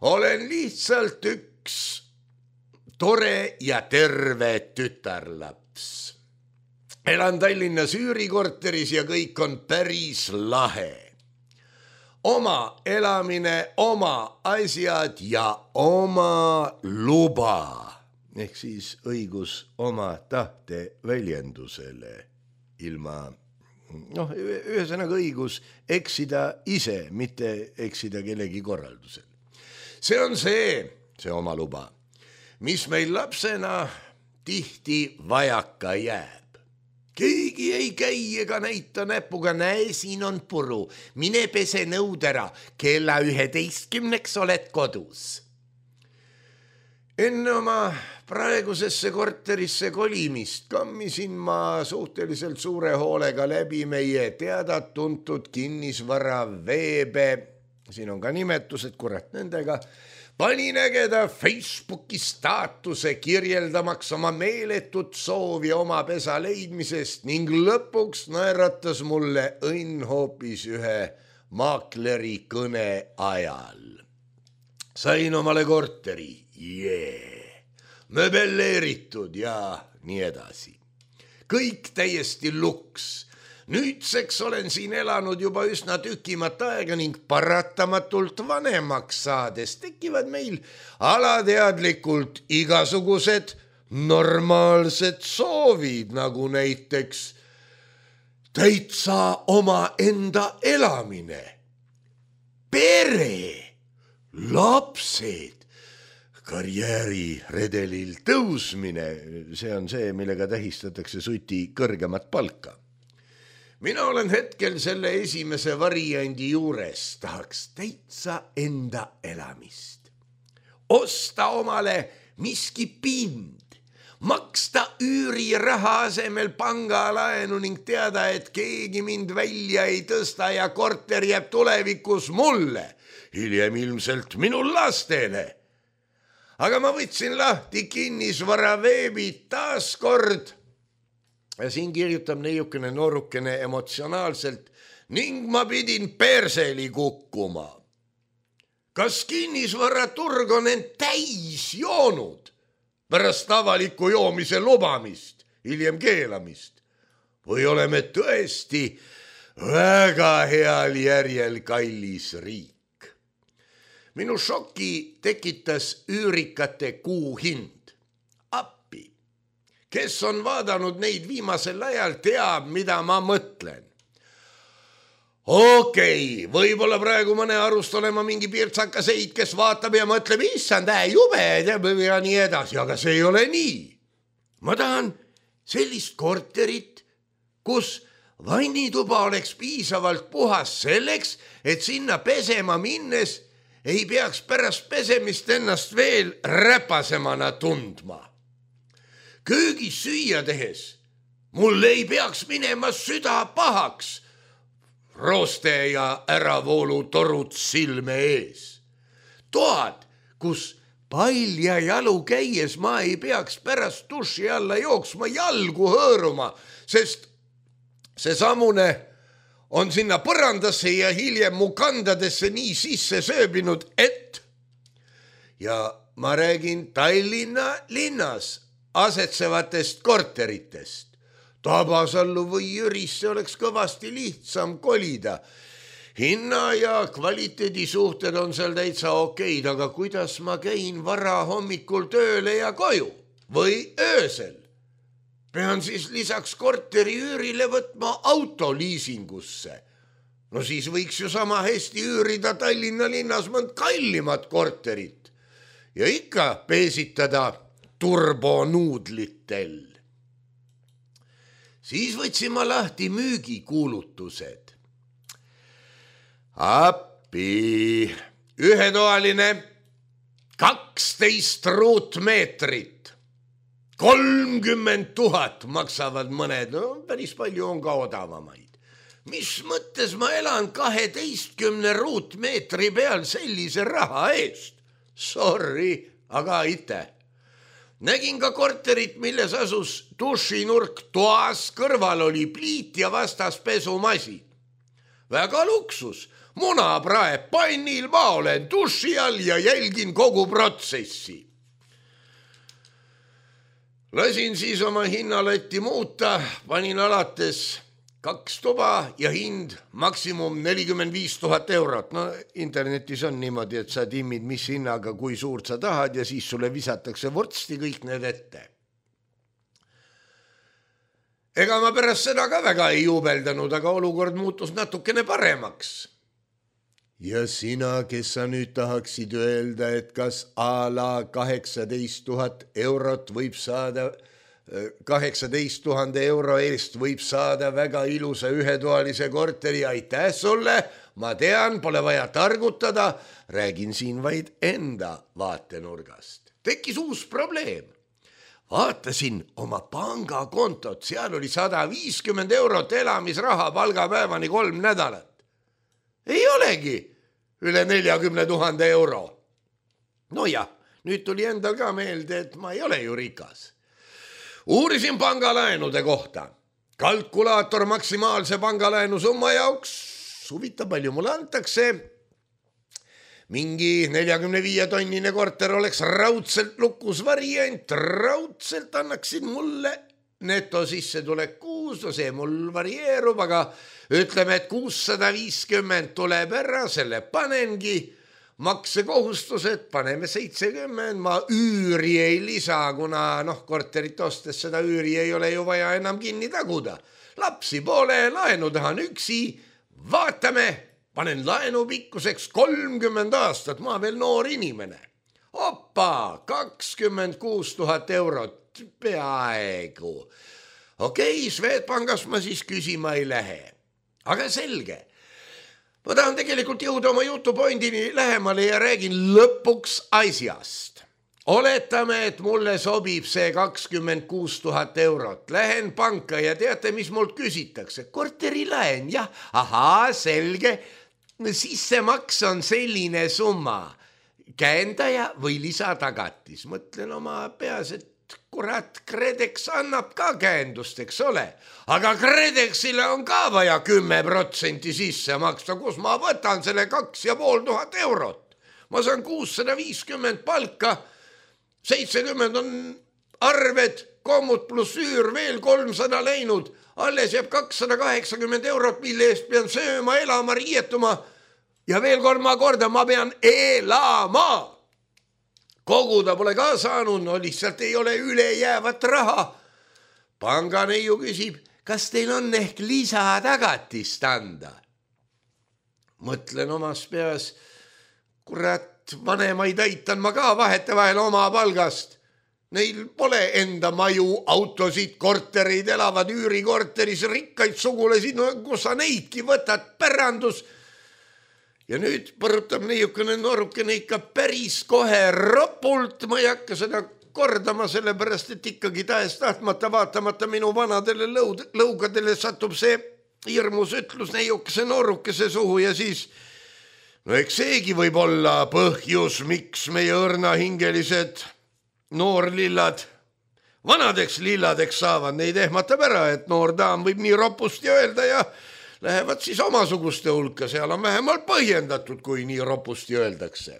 Olen lihtsalt üks tore ja terve tütarlaps. Elan Tallinnas üürikorteris ja kõik on päris lahe. Oma elamine, oma asjad ja oma luba. Ehk siis õigus oma tahte väljendusele ilma, ühesõnaga õigus eksida ise, mitte eksida kellegi korraldusel. See on see oma luba, mis meil lapsena tihti vajaka jääb. Keegi ei käi ega näita näpuga, näe, siin on puru, mine pese nõud ära, kella 11 oled kodus. Enne oma praegusesse korterisse kolimist kammisin ma suhteliselt suure hoolega läbi meie teada-tuntud kinnisvara veebe, siin on ka nimetused, kurat nendega, pani nägeda Facebooki staatuse kirjeldamaks oma meeletut soovi oma pesa leidmisest ning lõpuks naeratas mulle õnn hoopis ühe maakleri kõne ajal. Sain omale korteri, möbelleeritud ja nii edasi. Kõik täiesti luks. Nüüdseks olen siin elanud juba üsna tükimat aega ning paratamatult vanemaks saades tekivad meil alateadlikult igasugused normaalsed soovid, nagu näiteks täitsa oma enda elamine, pere, lapsed, karjääriredelil tõusmine, see on see, millega tähistatakse suti kõrgemat palka. Mina olen hetkel selle esimese variandi juures, tahaks täitsa enda elamist. Osta omale miski pind, maksta üüriraha asemel pangalaenu ning teada, et keegi mind välja ei tõsta ja korter jääb tulevikus mulle, hiljem ilmselt minu lastele. Aga ma võtsin lahti kinnisvara veebi taas kord. Ja siin kirjutab neiukene noorukene emotsionaalselt ning ma pidin perseli kukkuma. Kas kinnisvaraturg on end täis joonud pärast avaliku joomise lubamist, hiljem keelamist? Või oleme tõesti väga heal järjel kallis riik? Minu šoki tekitas üürikate kuuhind. Kes on vaadanud neid viimasel ajal, teab, mida ma mõtlen. Okei, võib-olla praegu mõne arust olema mingi pirtsakaseid, kes vaatab ja mõtleb, issand, jube ja nii edasi, aga see ei ole nii. Ma tahan sellist korterit, kus vannituba oleks piisavalt puhas selleks, et sinna pesema minnes ei peaks pärast pesemist ennast veel räpasemana tundma. Köögis süüa tehes mul ei peaks minema süda pahaks, rooste ja äravoolu torud silme ees. Toad, kus palja jalu käies ma ei peaks pärast duši alla jooksma jalgu hõõruma, sest see samune on sinna põrandasse ja hiljem mu kandadesse nii sisse sööbinud, et ja ma räägin Tallinna linnas asetsevatest korteritest. Tabasallu või Jürisse oleks kõvasti lihtsam kolida. Hinna ja kvaliteedi suhted on seal täitsa okeid, aga kuidas ma käin vara hommikul tööle ja koju või öösel? Pean siis lisaks korteri üürile võtma auto liisingusse. No siis võiks ju sama hästi üürida Tallinna linnas mõnd kallimat korterit ja ikka peesitada turbonuudlitel. Siis võtsin ma lahti müügikuulutused. Appi, ühetoaline 12 ruutmeetrit, 30 000 maksavad mõned, no päris palju on ka odavamaid. Mis mõttes ma elan 12 ruutmeetri peal sellise raha eest? Sorry, aga ite. Nägin ka korterit, milles asus dušinurk toas, kõrval oli pliit ja vastas pesumasin. väga luksus. Muna praeb pannil, ma olen duši all ja jälgin kogu protsessi. Lasin siis oma hinnalatti muuta, panin alates 2 tuba ja hind maksimum 45 000 eurot. No internetis on niimoodi, et sa timmid mis hinnaga, kui suurt sa tahad ja siis sulle visatakse vorsti kõik need ette. Ega ma pärast seda ka väga ei juubeldanud, aga olukord muutus natukene paremaks. Ja sina, kes sa nüüd tahaksid öelda, et kas a la 18 000 eurot võib saada, 18 000 euro eest võib saada väga ilusa ühetoalise korteri, aitäh sulle, ma tean, pole vaja targutada, räägin siin vaid enda vaatenurgast. Tekkis uus probleem. Vaatasin oma pangakontot, seal oli 150 eurot elamisraha palgapäevani 3 nädalat. Ei olegi üle 40 000 euro. No jah, nüüd tuli endal ka meelde, et ma ei ole ju rikas. Uurisin pangalaenude kohta. Kalkulaator maksimaalse pangalaenu summa jaoks, huvitav palju mulle antakse. Mingi 45 tonnine korter oleks raudselt lukus variant, raudselt annaksid mulle neto sissetulek kuus, no see mul varieerub, aga ütleme, et 650 tuleb ära, selle panengi, maksekohustused, paneme 70, ma üüri ei lisa, kuna korterit ostes seda üüri ei ole ju vaja enam kinni taguda. Lapsi pole, laenu tahan üksi, vaatame, panen laenu pikkuseks 30 aastat, ma veel noor inimene. Opa, 26 000 eurot, peaaegu. Okei, Swedbankast ma siis küsima ei lähe. Aga selge. Ma tahan tegelikult jõuda oma jutupointini lähemale ja räägin lõpuks asjast. Oletame, et mulle sobib see 26 000 eurot. Lähen panka ja teate, mis mult küsitakse? Korterilaen, jah. Ahaa, selge. Sissemaks on selline summa. Käendaja või lisatagatis. Mõtlen oma peas, et kurat, Kredex annab ka käendust, eks ole. Aga Kredexile on ka vaja 10% sisse maksta, kus ma võtan selle 2500 eurot. Ma saan 650 palka, 70 on arved, kommut pluss üür, veel 300 läinud. Alles jääb 280 eurot, mille eest pean sööma, elama, riietuma. Ja veel 3 korda ma pean elama. Koguda pole ka saanud, no lihtsalt ei ole ülejäävat raha. Panganeiu küsib, kas teil on ehk lisatagatist anda? Mõtlen omas peas, kurat, vanemaid aitan ma ka vahetevahel oma palgast. Neil pole enda maju, autosid, korterid, elavad üürikorteris, rikkaid sugulasi, no kus sa neidki võtad, pärandus. Ja nüüd põrutab neiukene noorukene ikka päris kohe ropult, ma ei hakka seda kordama, sellepärast, et ikkagi tahes tahtmata vaatamata minu vanadele lõugadele satub see hirmus ütlus neiukese noorukese suhu ja siis, no eks seegi võib olla põhjus, miks meie õrnahingelised noorlillad vanadeks lilladeks saavad, neid ehmatab ära, et noor daam võib nii ropusti öelda ja lähevad siis omasuguste hulka, seal on vähemalt põhjendatud, kui nii ropusti öeldakse.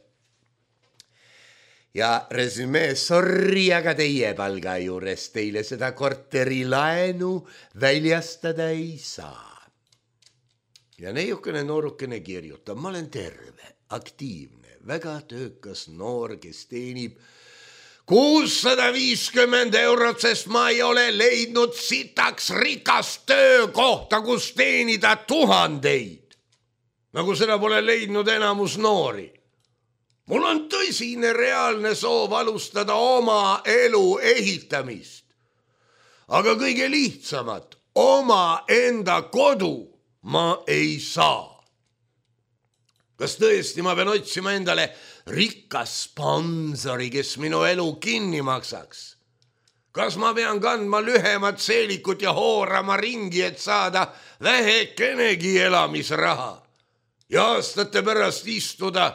Ja resümee, sorry, aga teie palga juures teile seda korterilaenu väljastada ei saa. Ja neiukene noorukene kirjutab, ma olen terve, aktiivne, väga töökas noor, kes teenib 650 eurot, sest ma ei ole leidnud sitaks rikast töökohta, kus teenida 1000. Nagu seda pole leidnud enamus noori. Mul on tõsine reaalne soov alustada oma elu ehitamist. Aga kõige lihtsamat, oma enda kodu ma ei saa. Kas tõesti ma pean otsima endale rikas sponsori, kes minu elu kinni maksaks? Kas ma pean kandma lühemat seelikut ja hoorama ringi, et saada vähekenegi elamisraha? Ja aastate pärast istuda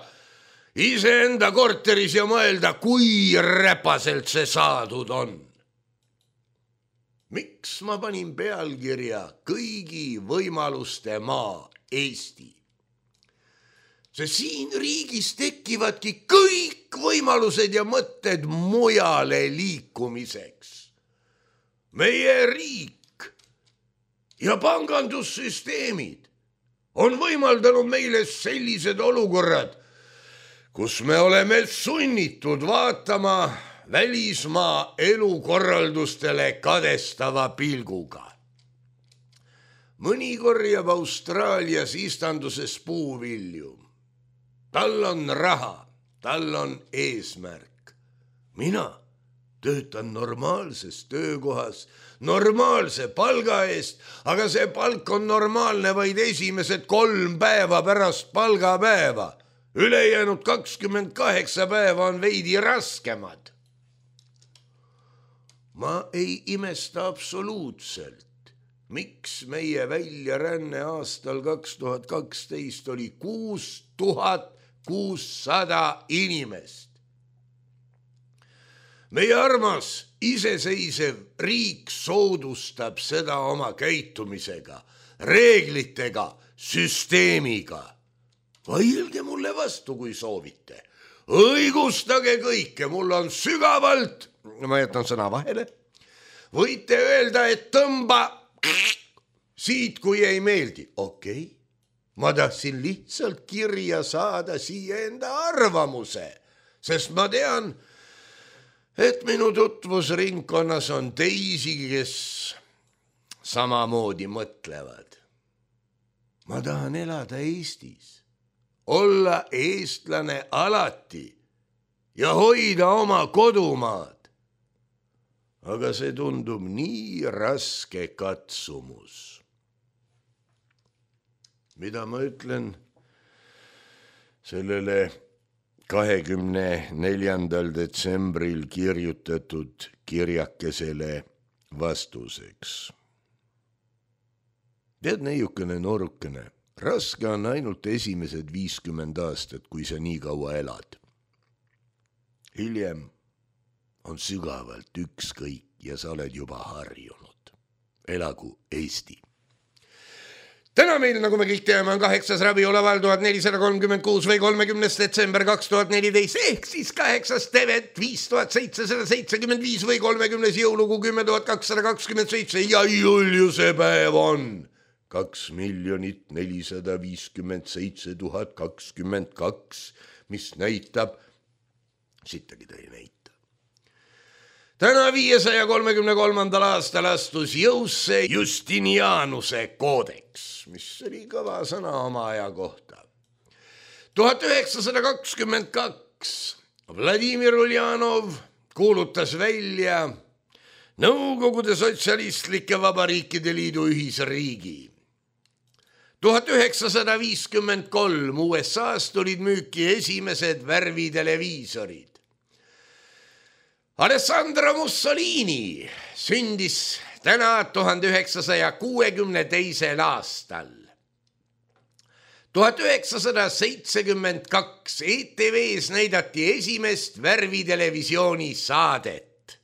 iseenda korteris ja mõelda, kui räpaselt see saadud on. Miks ma panin pealkirja kõigi võimaluste maa Eesti. See siin riigis tekivadki kõik võimalused ja mõtted mujale liikumiseks. Meie riik ja pangandussüsteemid on võimaldanud meile sellised olukorrad, kus me oleme sunnitud vaatama välismaa elukorraldustele kadestava pilguga. Mõni korjab Austraalias istanduses puuvilju. Tal on raha, tal on eesmärk. Mina töötan normaalses töökohas, normaalse palga eest, aga see palk on normaalne vaid esimesed 3 päeva pärast palgapäeva. Ülejäänud 28 päeva on veidi raskemad. Ma ei imesta absoluutselt, miks meie väljaränne aastal 2012 oli 6600 inimest. Meie armas iseseisev riik soodustab seda oma käitumisega, reeglitega, süsteemiga. Vailge mulle vastu, kui soovite. Õigustage kõike, mul on sügavalt, ma jätan sõna vahele, võite öelda, et tõmba siit, kui ei meeldi. Okei. Ma tahtsin lihtsalt kirja saada siia enda arvamuse, sest ma tean, et minu tutvusringkonnas on teisi, kes samamoodi mõtlevad. Ma tahan elada Eestis, olla eestlane alati ja hoida oma kodumaad. Aga see tundub nii raske katsumus. Mida ma ütlen sellele 24. detsembril kirjutatud kirjakesele vastuseks? Tead, neiukene noorukene, raske on ainult esimesed 50 aastat, kui sa nii kaua elad. Hiljem on sügavalt ükskõik ja sa oled juba harjunud. Elagu Eesti. Täna meil, nagu me kõik teame, on 8. rabiolaval 1436 või 30. detsember 2014 ehk siis 8. tevet 5775 või 30. jõulugu 10227 ja Juliuse päev on 2 457 022, mis näitab, sittagi ta ei näita. Täna 533. aastal astus jõusse Justinianuse koodeks, mis oli kõva sõna oma aja kohta. 1922 Vladimir Uljanov kuulutas välja Nõukogude Sotsialistlike Vabariikide Liidu ühisriigi. 1953 USA-s tulid müüki esimesed värviteleviisorid. Alessandro Mussolini sündis täna 1962. aastal. 1972 ETV-s näidati esimest värvitelevisiooni saadet,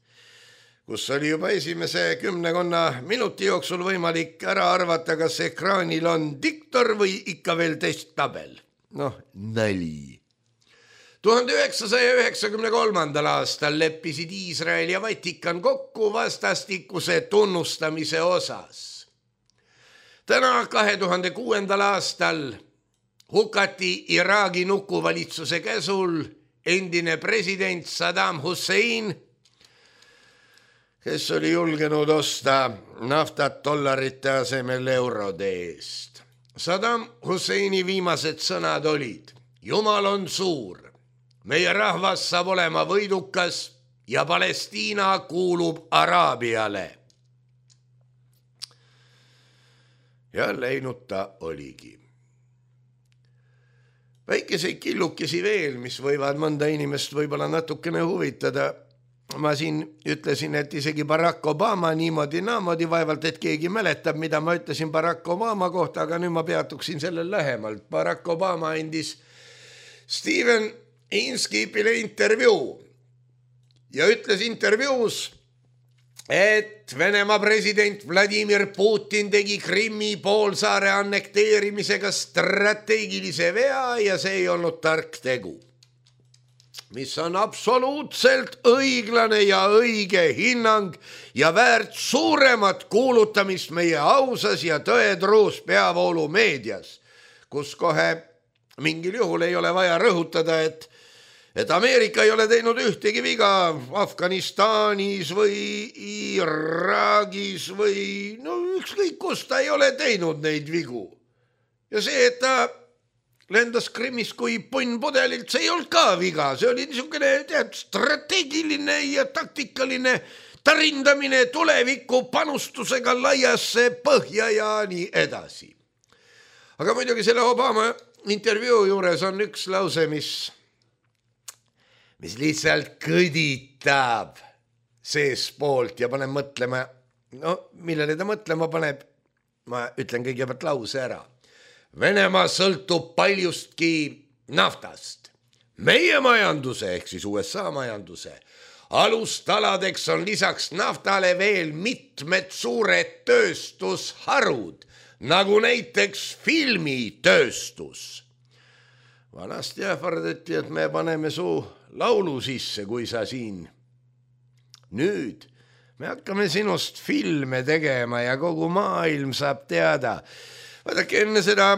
kus oli juba esimese 10 minuti jooksul võimalik ära arvata, kas ekraanil on diktor või ikka veel testtabel. Nali. 1993. aastal leppisid Iisrael ja Vatikan kokku vastastikuse tunnustamise osas. Täna 2006. aastal hukati Iraagi nukuvalitsuse käsul endine president Saddam Hussein, kes oli julgenud osta naftat dollarite asemel eurode eest. Saddam Husseini viimased sõnad olid: Jumal on suur. Meie rahvas saab olema võidukas ja Palestiina kuulub Araabiale. Ja läinud ta oligi. Väikeseid killukesi veel, mis võivad mõnda inimest võib-olla natukene huvitada. Ma siin ütlesin, et isegi Barack Obama niimoodi naamoodi, vaevalt, et keegi mäletab, mida ma ütlesin Barack Obama kohta, aga nüüd ma peatuksin sellel lähemalt. Barack Obama andis Steven Inskipile intervjuu ja ütles intervjuus, et Venemaa president Vladimir Putin tegi Krimmi poolsaare annekteerimisega strateegilise vea ja see ei olnud tark tegu, mis on absoluutselt õiglane ja õige hinnang ja väärt suuremat kuulutamist meie ausas ja tõetruus peavoolumeedias, kus kohe mingil juhul ei ole vaja rõhutada, et Ameerika ei ole teinud ühtegi viga Afganistanis või Iraagis või ükskõik kus ta ei ole teinud neid vigu. Ja see, et ta lendas Krimmis kui punn pudelilt, see ei olnud ka viga, see oli niisugune strateegiline ja taktikaline tarindamine tuleviku panustusega laiasse põhja ja nii edasi. Aga muidugi selle Obama intervjuu juures on üks lause, mis lihtsalt kõditab seespoolt ja paneb mõtlema, millele ta mõtlema paneb, ma ütlen kõigepealt lause ära. Venemaa sõltub paljustki naftast. Meie majanduse ehk siis USA majanduse alustaladeks on lisaks naftale veel mitmed suured tööstusharud, nagu näiteks filmitööstus. Vanasti ähvardati, et me paneme su laulu sisse, kui sa siin. Nüüd me hakkame sinust filme tegema ja kogu maailm saab teada. Vaadake, enne seda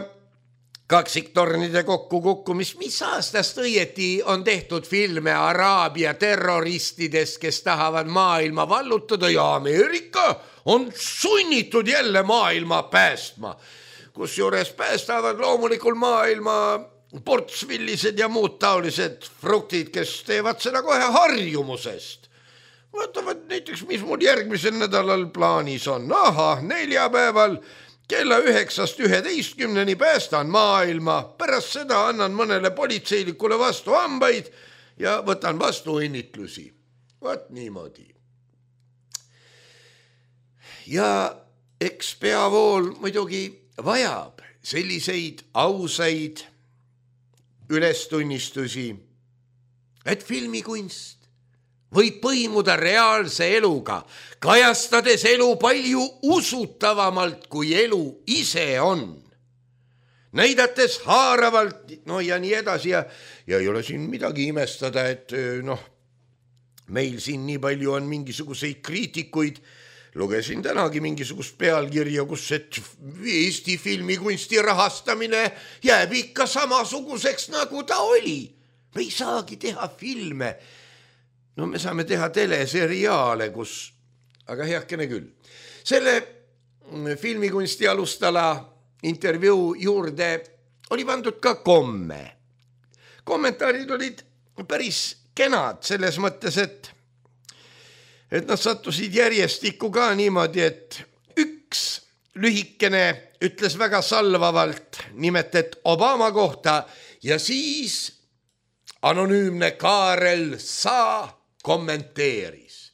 kaksiktornide kokkukukkumist, mis aastast õieti on tehtud filme Araabia terroristidest, kes tahavad maailma vallutada ja Ameerika on sunnitud jälle maailma päästma. Kusjuures päästavad loomulikul maailma portsvillised ja muud taolised fruktid, kes teevad seda kohe harjumusest. Vaatavad näiteks, mis mul järgmisel nädalal plaanis on. Neljapäeval kella 9–11 päästan maailma. Pärast seda annan mõnele politseilikule vastu hambaid ja võtan vastu õnnitlusi. Vaat niimoodi. Ja eks peavool muidugi vajab selliseid ausaid ülestunnistusi, et filmikunst võib põimuda reaalse eluga, kajastades elu palju usutavamalt, kui elu ise on. Näidates haaravalt, ja nii edasi ja ei ole siin midagi imestada, et meil siin nii palju on mingisuguseid kriitikuid. Lugesin tänagi mingisugust pealkirja, kus et Eesti filmikunsti rahastamine jääb ikka samasuguseks, nagu ta oli. Me ei saagi teha filme. Me saame teha teleseriaale, aga heakene küll. Selle filmikunsti alustala intervjuu juurde oli pandud ka komme. Kommentaarid olid päris kenad selles mõttes, et nad sattusid järjestikku ka niimoodi, et üks lühikene ütles väga salvavalt nimet, et Obama kohta ja siis anonüümne Kaarel Saa kommenteeris.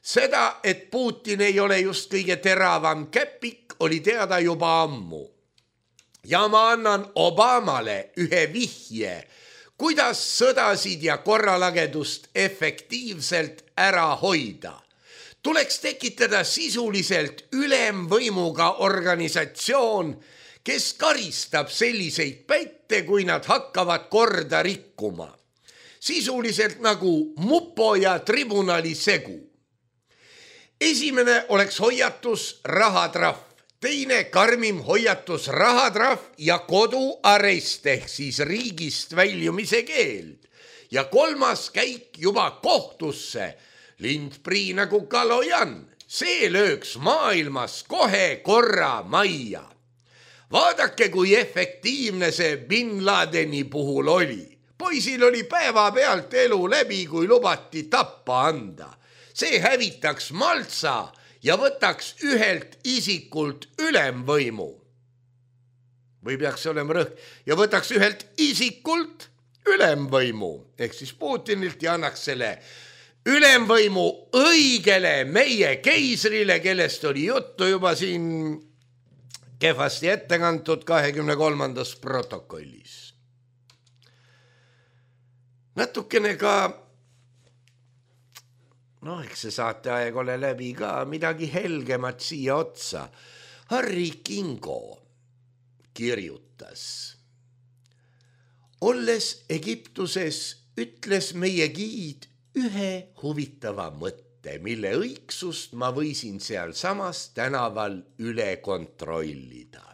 Seda, et Putin ei ole just kõige teravam käpik, oli teada juba ammu. Ja ma annan Obamale ühe vihje, kuidas sõdasid ja korralagedust efektiivselt ära hoida. Tuleks tekitada sisuliselt ülemvõimuga organisatsioon, kes karistab selliseid pätte, kui nad hakkavad korda rikkuma. Sisuliselt nagu mupo ja tribunali segu. Esimene oleks hoiatus rahatrahv. Teine karmim hoiatus rahatrahv ja koduarest ehk siis riigist väljumise keeld. Ja kolmas käik juba kohtusse, lindprii nagu Kalojan. See lööks maailmas kohe korra majja. Vaadake, kui efektiivne see Bin Ladeni puhul oli. Poisil oli päeva pealt elu läbi, kui lubati tappa anda. See hävitaks Maltsa ja võtaks ühelt isikult ülemvõimu. Või peaks olema rõhk. Ja võtaks ühelt isikult ülemvõimu, ehk siis Putinilt ja annaks selle ülemvõimu õigele meie keisrile, kellest oli juttu juba siin kehvasti ettekantud 23. protokollis. Natukene ka noh, eks see saateaeg ole läbi ka, midagi helgemat siia otsa. Harri Kingo kirjutas. Olles Egiptuses ütles meie giid ühe huvitava mõtte, mille õigsust ma võisin seal samas tänaval üle kontrollida.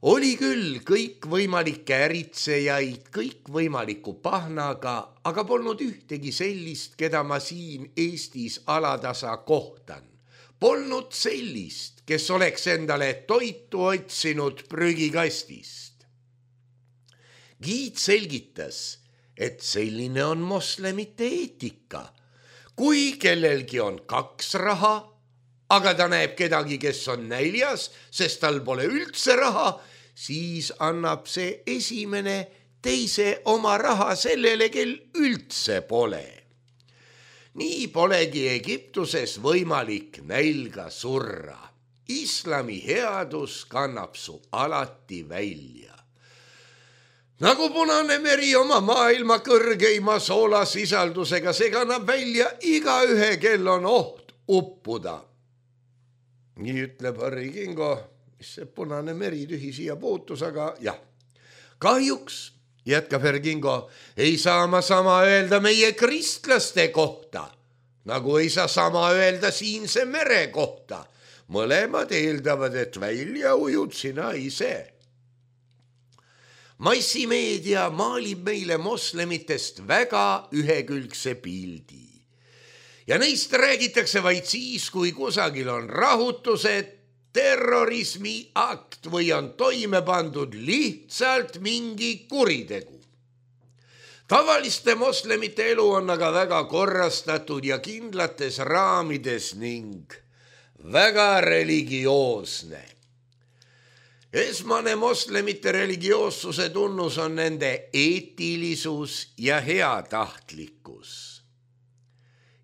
Oli küll kõikvõimalikke äritsejaid kõikvõimaliku pahnaga, aga polnud ühtegi sellist, keda ma siin Eestis alatasa kohtan. Polnud sellist, kes oleks endale toitu otsinud prügikastist. Giid selgitas, et selline on moslemite eetika. Kui kellelgi on 2 raha, aga ta näeb kedagi, kes on näljas, sest tal pole üldse raha, siis annab see esimene teise oma raha sellele, kel üldse pole. Nii polegi Egiptuses võimalik nälga surra. Islami headus kannab su alati välja. Nagu Punane meri oma maailma kõrgeima soolasisaldusega, see kannab välja igaühe, kel on oht uppuda. Nii ütleb Harri Kingo, mis see Punane meri tühi siia puutus, aga jah. Kahjuks, jätkab Harri Kingo, ei saa ma sama öelda meie kristlaste kohta, nagu ei saa sama öelda siinse mere kohta. Mõlemad eeldavad, et välja ujud sina ise. Massimeedia maalib meile moslemitest väga ühekülgse pildi. Ja neist räägitakse vaid siis, kui kusagil on rahutused, terrorismiakt või on toime pandud lihtsalt mingi kuritegu. Tavaliste moslemite elu on aga väga korrastatud ja kindlates raamides ning väga religioosne. Esmane moslemite religioossuse tunnus on nende eetilisus ja heatahtlikkus.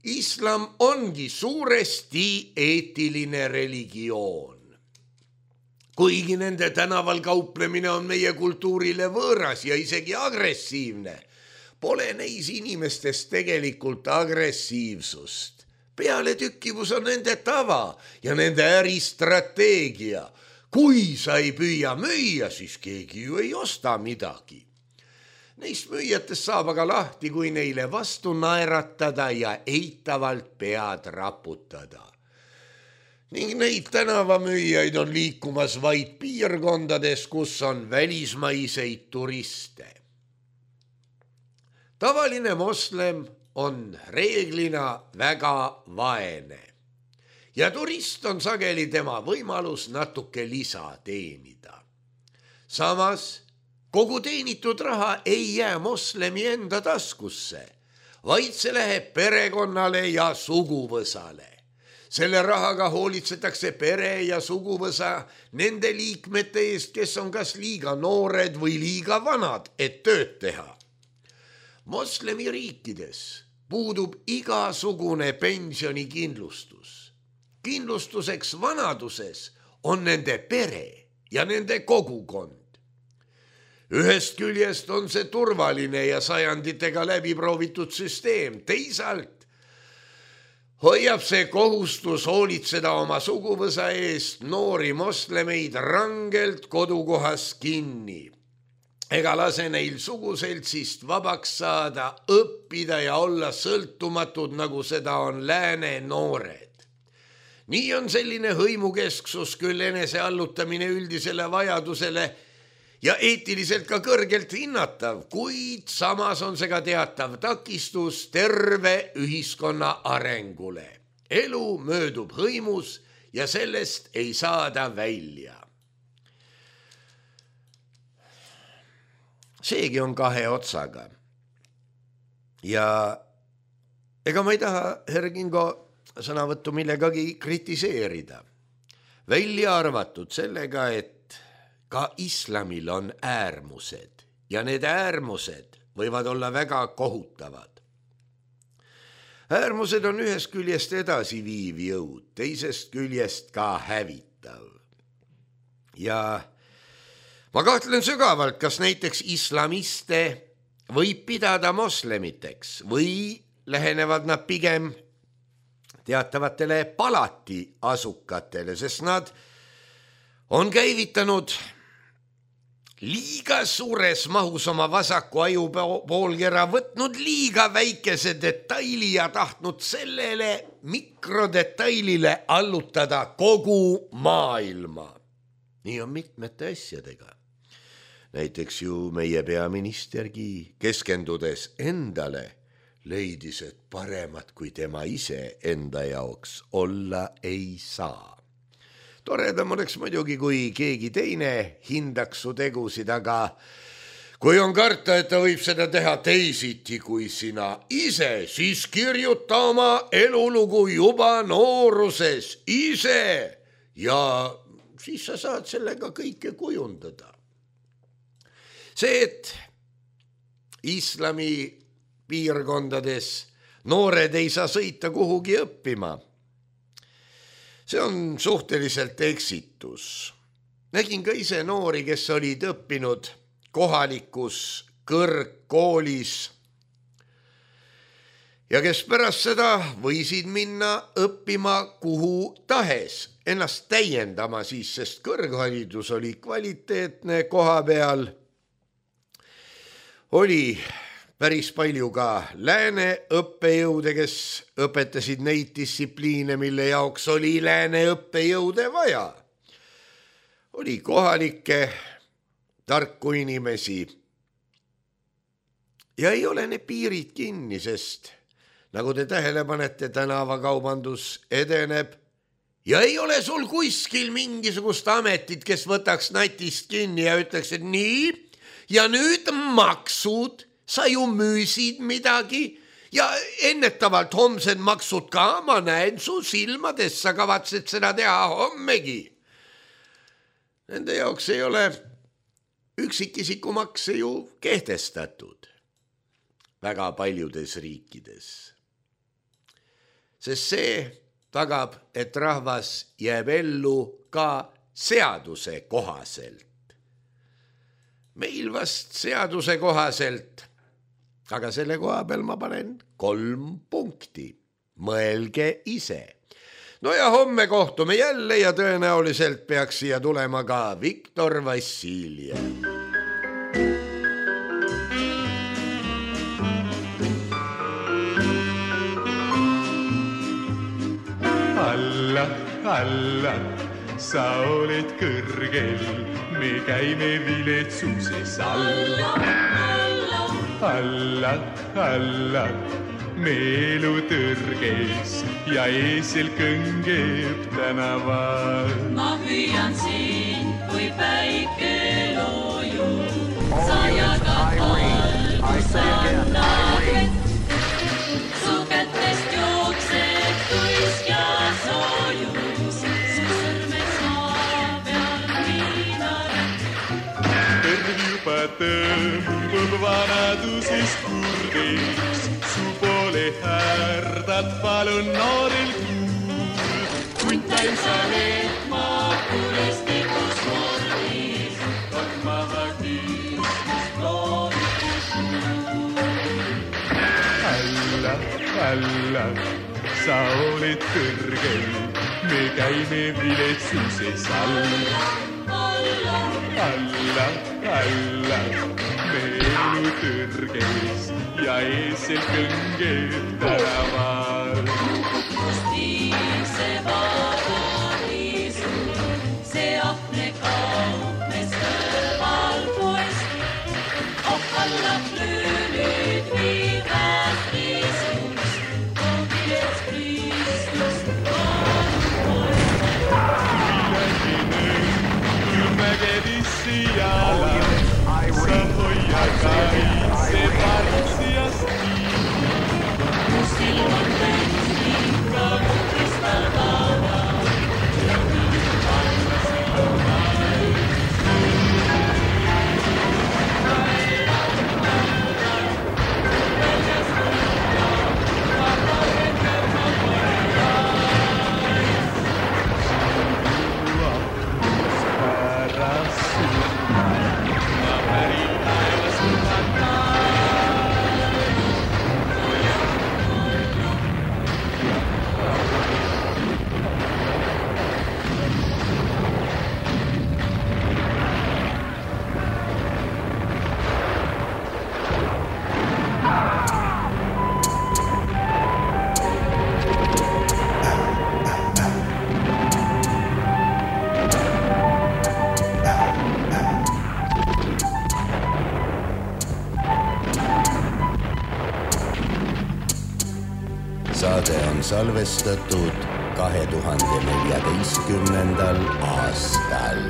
Islam ongi suuresti eetiline religioon. Kuigi nende tänaval kauplemine on meie kultuurile võõras ja isegi agressiivne, pole neis inimestes tegelikult agressiivsust. Pealetükkivus on nende tava ja nende äristrateegia. Kui sa ei püüa müüa, siis keegi ju ei osta midagi. Neist müüjatest saab aga lahti, kui neile vastu naeratada ja eitavalt pead raputada. Ning neid tänavamüüjaid on liikumas vaid piirkondades, kus on välismaiseid turiste. Tavaline moslem on reeglina väga vaene ja turist on sageli tema võimalus natuke lisa teenida. Samas kogu teenitud raha ei jää moslemi enda taskusse, vaid see läheb perekonnale ja suguvõsale. Selle rahaga hoolitsetakse pere ja suguvõsa nende liikmete eest, kes on kas liiga noored või liiga vanad, et tööd teha. Moslemi riikides puudub igasugune pensionikindlustus. Kindlustuseks vanaduses on nende pere ja nende kogukond. Ühest küljest on see turvaline ja sajanditega läbi proovitud süsteem, teisalt hoiab see kohustus hoolitseda oma suguvõsa eest noori moslemeid rangelt kodukohas kinni. Ega lase neil suguseltsist vabaks saada, õppida ja olla sõltumatud, nagu seda on lääne noored. Nii on selline hõimukesksus küll eneseallutamine üldisele vajadusele ja eetiliselt ka kõrgelt hinnatav, kuid samas on see ka teatav takistus terve ühiskonna arengule. Elu möödub hõimus ja sellest ei saada välja. Seegi on 2 otsaga. Ja ega ma ei taha, Harri Kingo, sõnavõttu millegagi kritiseerida. Välja arvatud sellega, et ka islamil on äärmused ja need äärmused võivad olla väga kohutavad. Äärmused on ühest küljest edasiviiv jõud, teisest küljest ka hävitav. Ja ma kahtlen sügavalt, kas näiteks islamiste võib pidada moslemiteks või lähenevad nad pigem teatavatele palati asukatele, sest nad on käivitanud liiga suures mahus oma vasaku aju poolkera, võtnud liiga väikese detaili ja tahtnud sellele mikrodetailile allutada kogu maailma. Nii on mitmete asjadega. Näiteks ju meie peaministergi keskendudes endale leidis, et paremat kui tema ise enda jaoks olla ei saa. Toredam oleks muidugi, kui keegi teine hindaks su tegusid, aga kui on karta, et ta võib seda teha teisiti kui sina ise, siis kirjuta oma elulugu juba nooruses ise ja siis sa saad sellega kõike kujundada. See, et islami piirkondades noored ei saa sõita kuhugi õppima, see on suhteliselt eksitus. Nägin ka ise noori, kes olid õppinud kohalikus kõrgkoolis ja kes pärast seda võisid minna õppima kuhu tahes, ennast täiendama siis, sest kõrgharidus oli kvaliteetne koha peal. Oli päris palju ka lääne õppejõude, kes õpetasid neid distsipliine, mille jaoks oli lääne õppejõude vaja. Oli kohalikke tarku inimesi. Ja ei ole ne piirid kinni, sest nagu te tähele panete, tänavakaubandus edeneb ja ei ole sul kuskil mingisugust ametit, kes võtaks natist kinni ja ütleks, et nii ja nüüd maksud, sa ju müüsid midagi ja ennetavalt homsed maksud ka, ma näen su silmades, sa kavatsed seda teha hommegi. Nende jaoks ei ole üksikisikumakse ju kehtestatud väga paljudes riikides. Sest see tagab, et rahvas jääb ellu ka seaduse kohaselt. Meil vast seaduse kohaselt, aga selle koha peal ma panen 3 punkti. Mõelge ise. No ja homme kohtume jälle ja tõenäoliselt peaks siia tulema ka Viktor Vassiljev. Alla, alla, sa oled kõrgel, me käime viletsuses alla. Alla, alla, me elu tõrges ja eesel kõngeb tänaval. Ma hüüan siin, kui päike loojub, sa jagad valgust annad vett. Su kätest jookseb tuisk ja soojus, su sõrmed saa peal viinaret. Kõrv juba tõmbub vanadusest kurdiks, su poole härdad palun nooril kuul. Kuntain sa lehma kuristikus mordis, maha kiistust loovikus suur. Alla, alla, sa oled kõrgel, me käime viletsuses alla. Alla, alla, me elu tõrges ja eesel kõngeb tänaval. Kust viise paradiisu, see ahne kaupmes kõrval poest. Ohkallab löönid viivad Kristus, koogilets Kristus, Siala, sa hoia kaitse partsiast nii. Mu silmad täitsid nagu kristallkava ja kõik panna silmad. salvestatud 2014. aastal.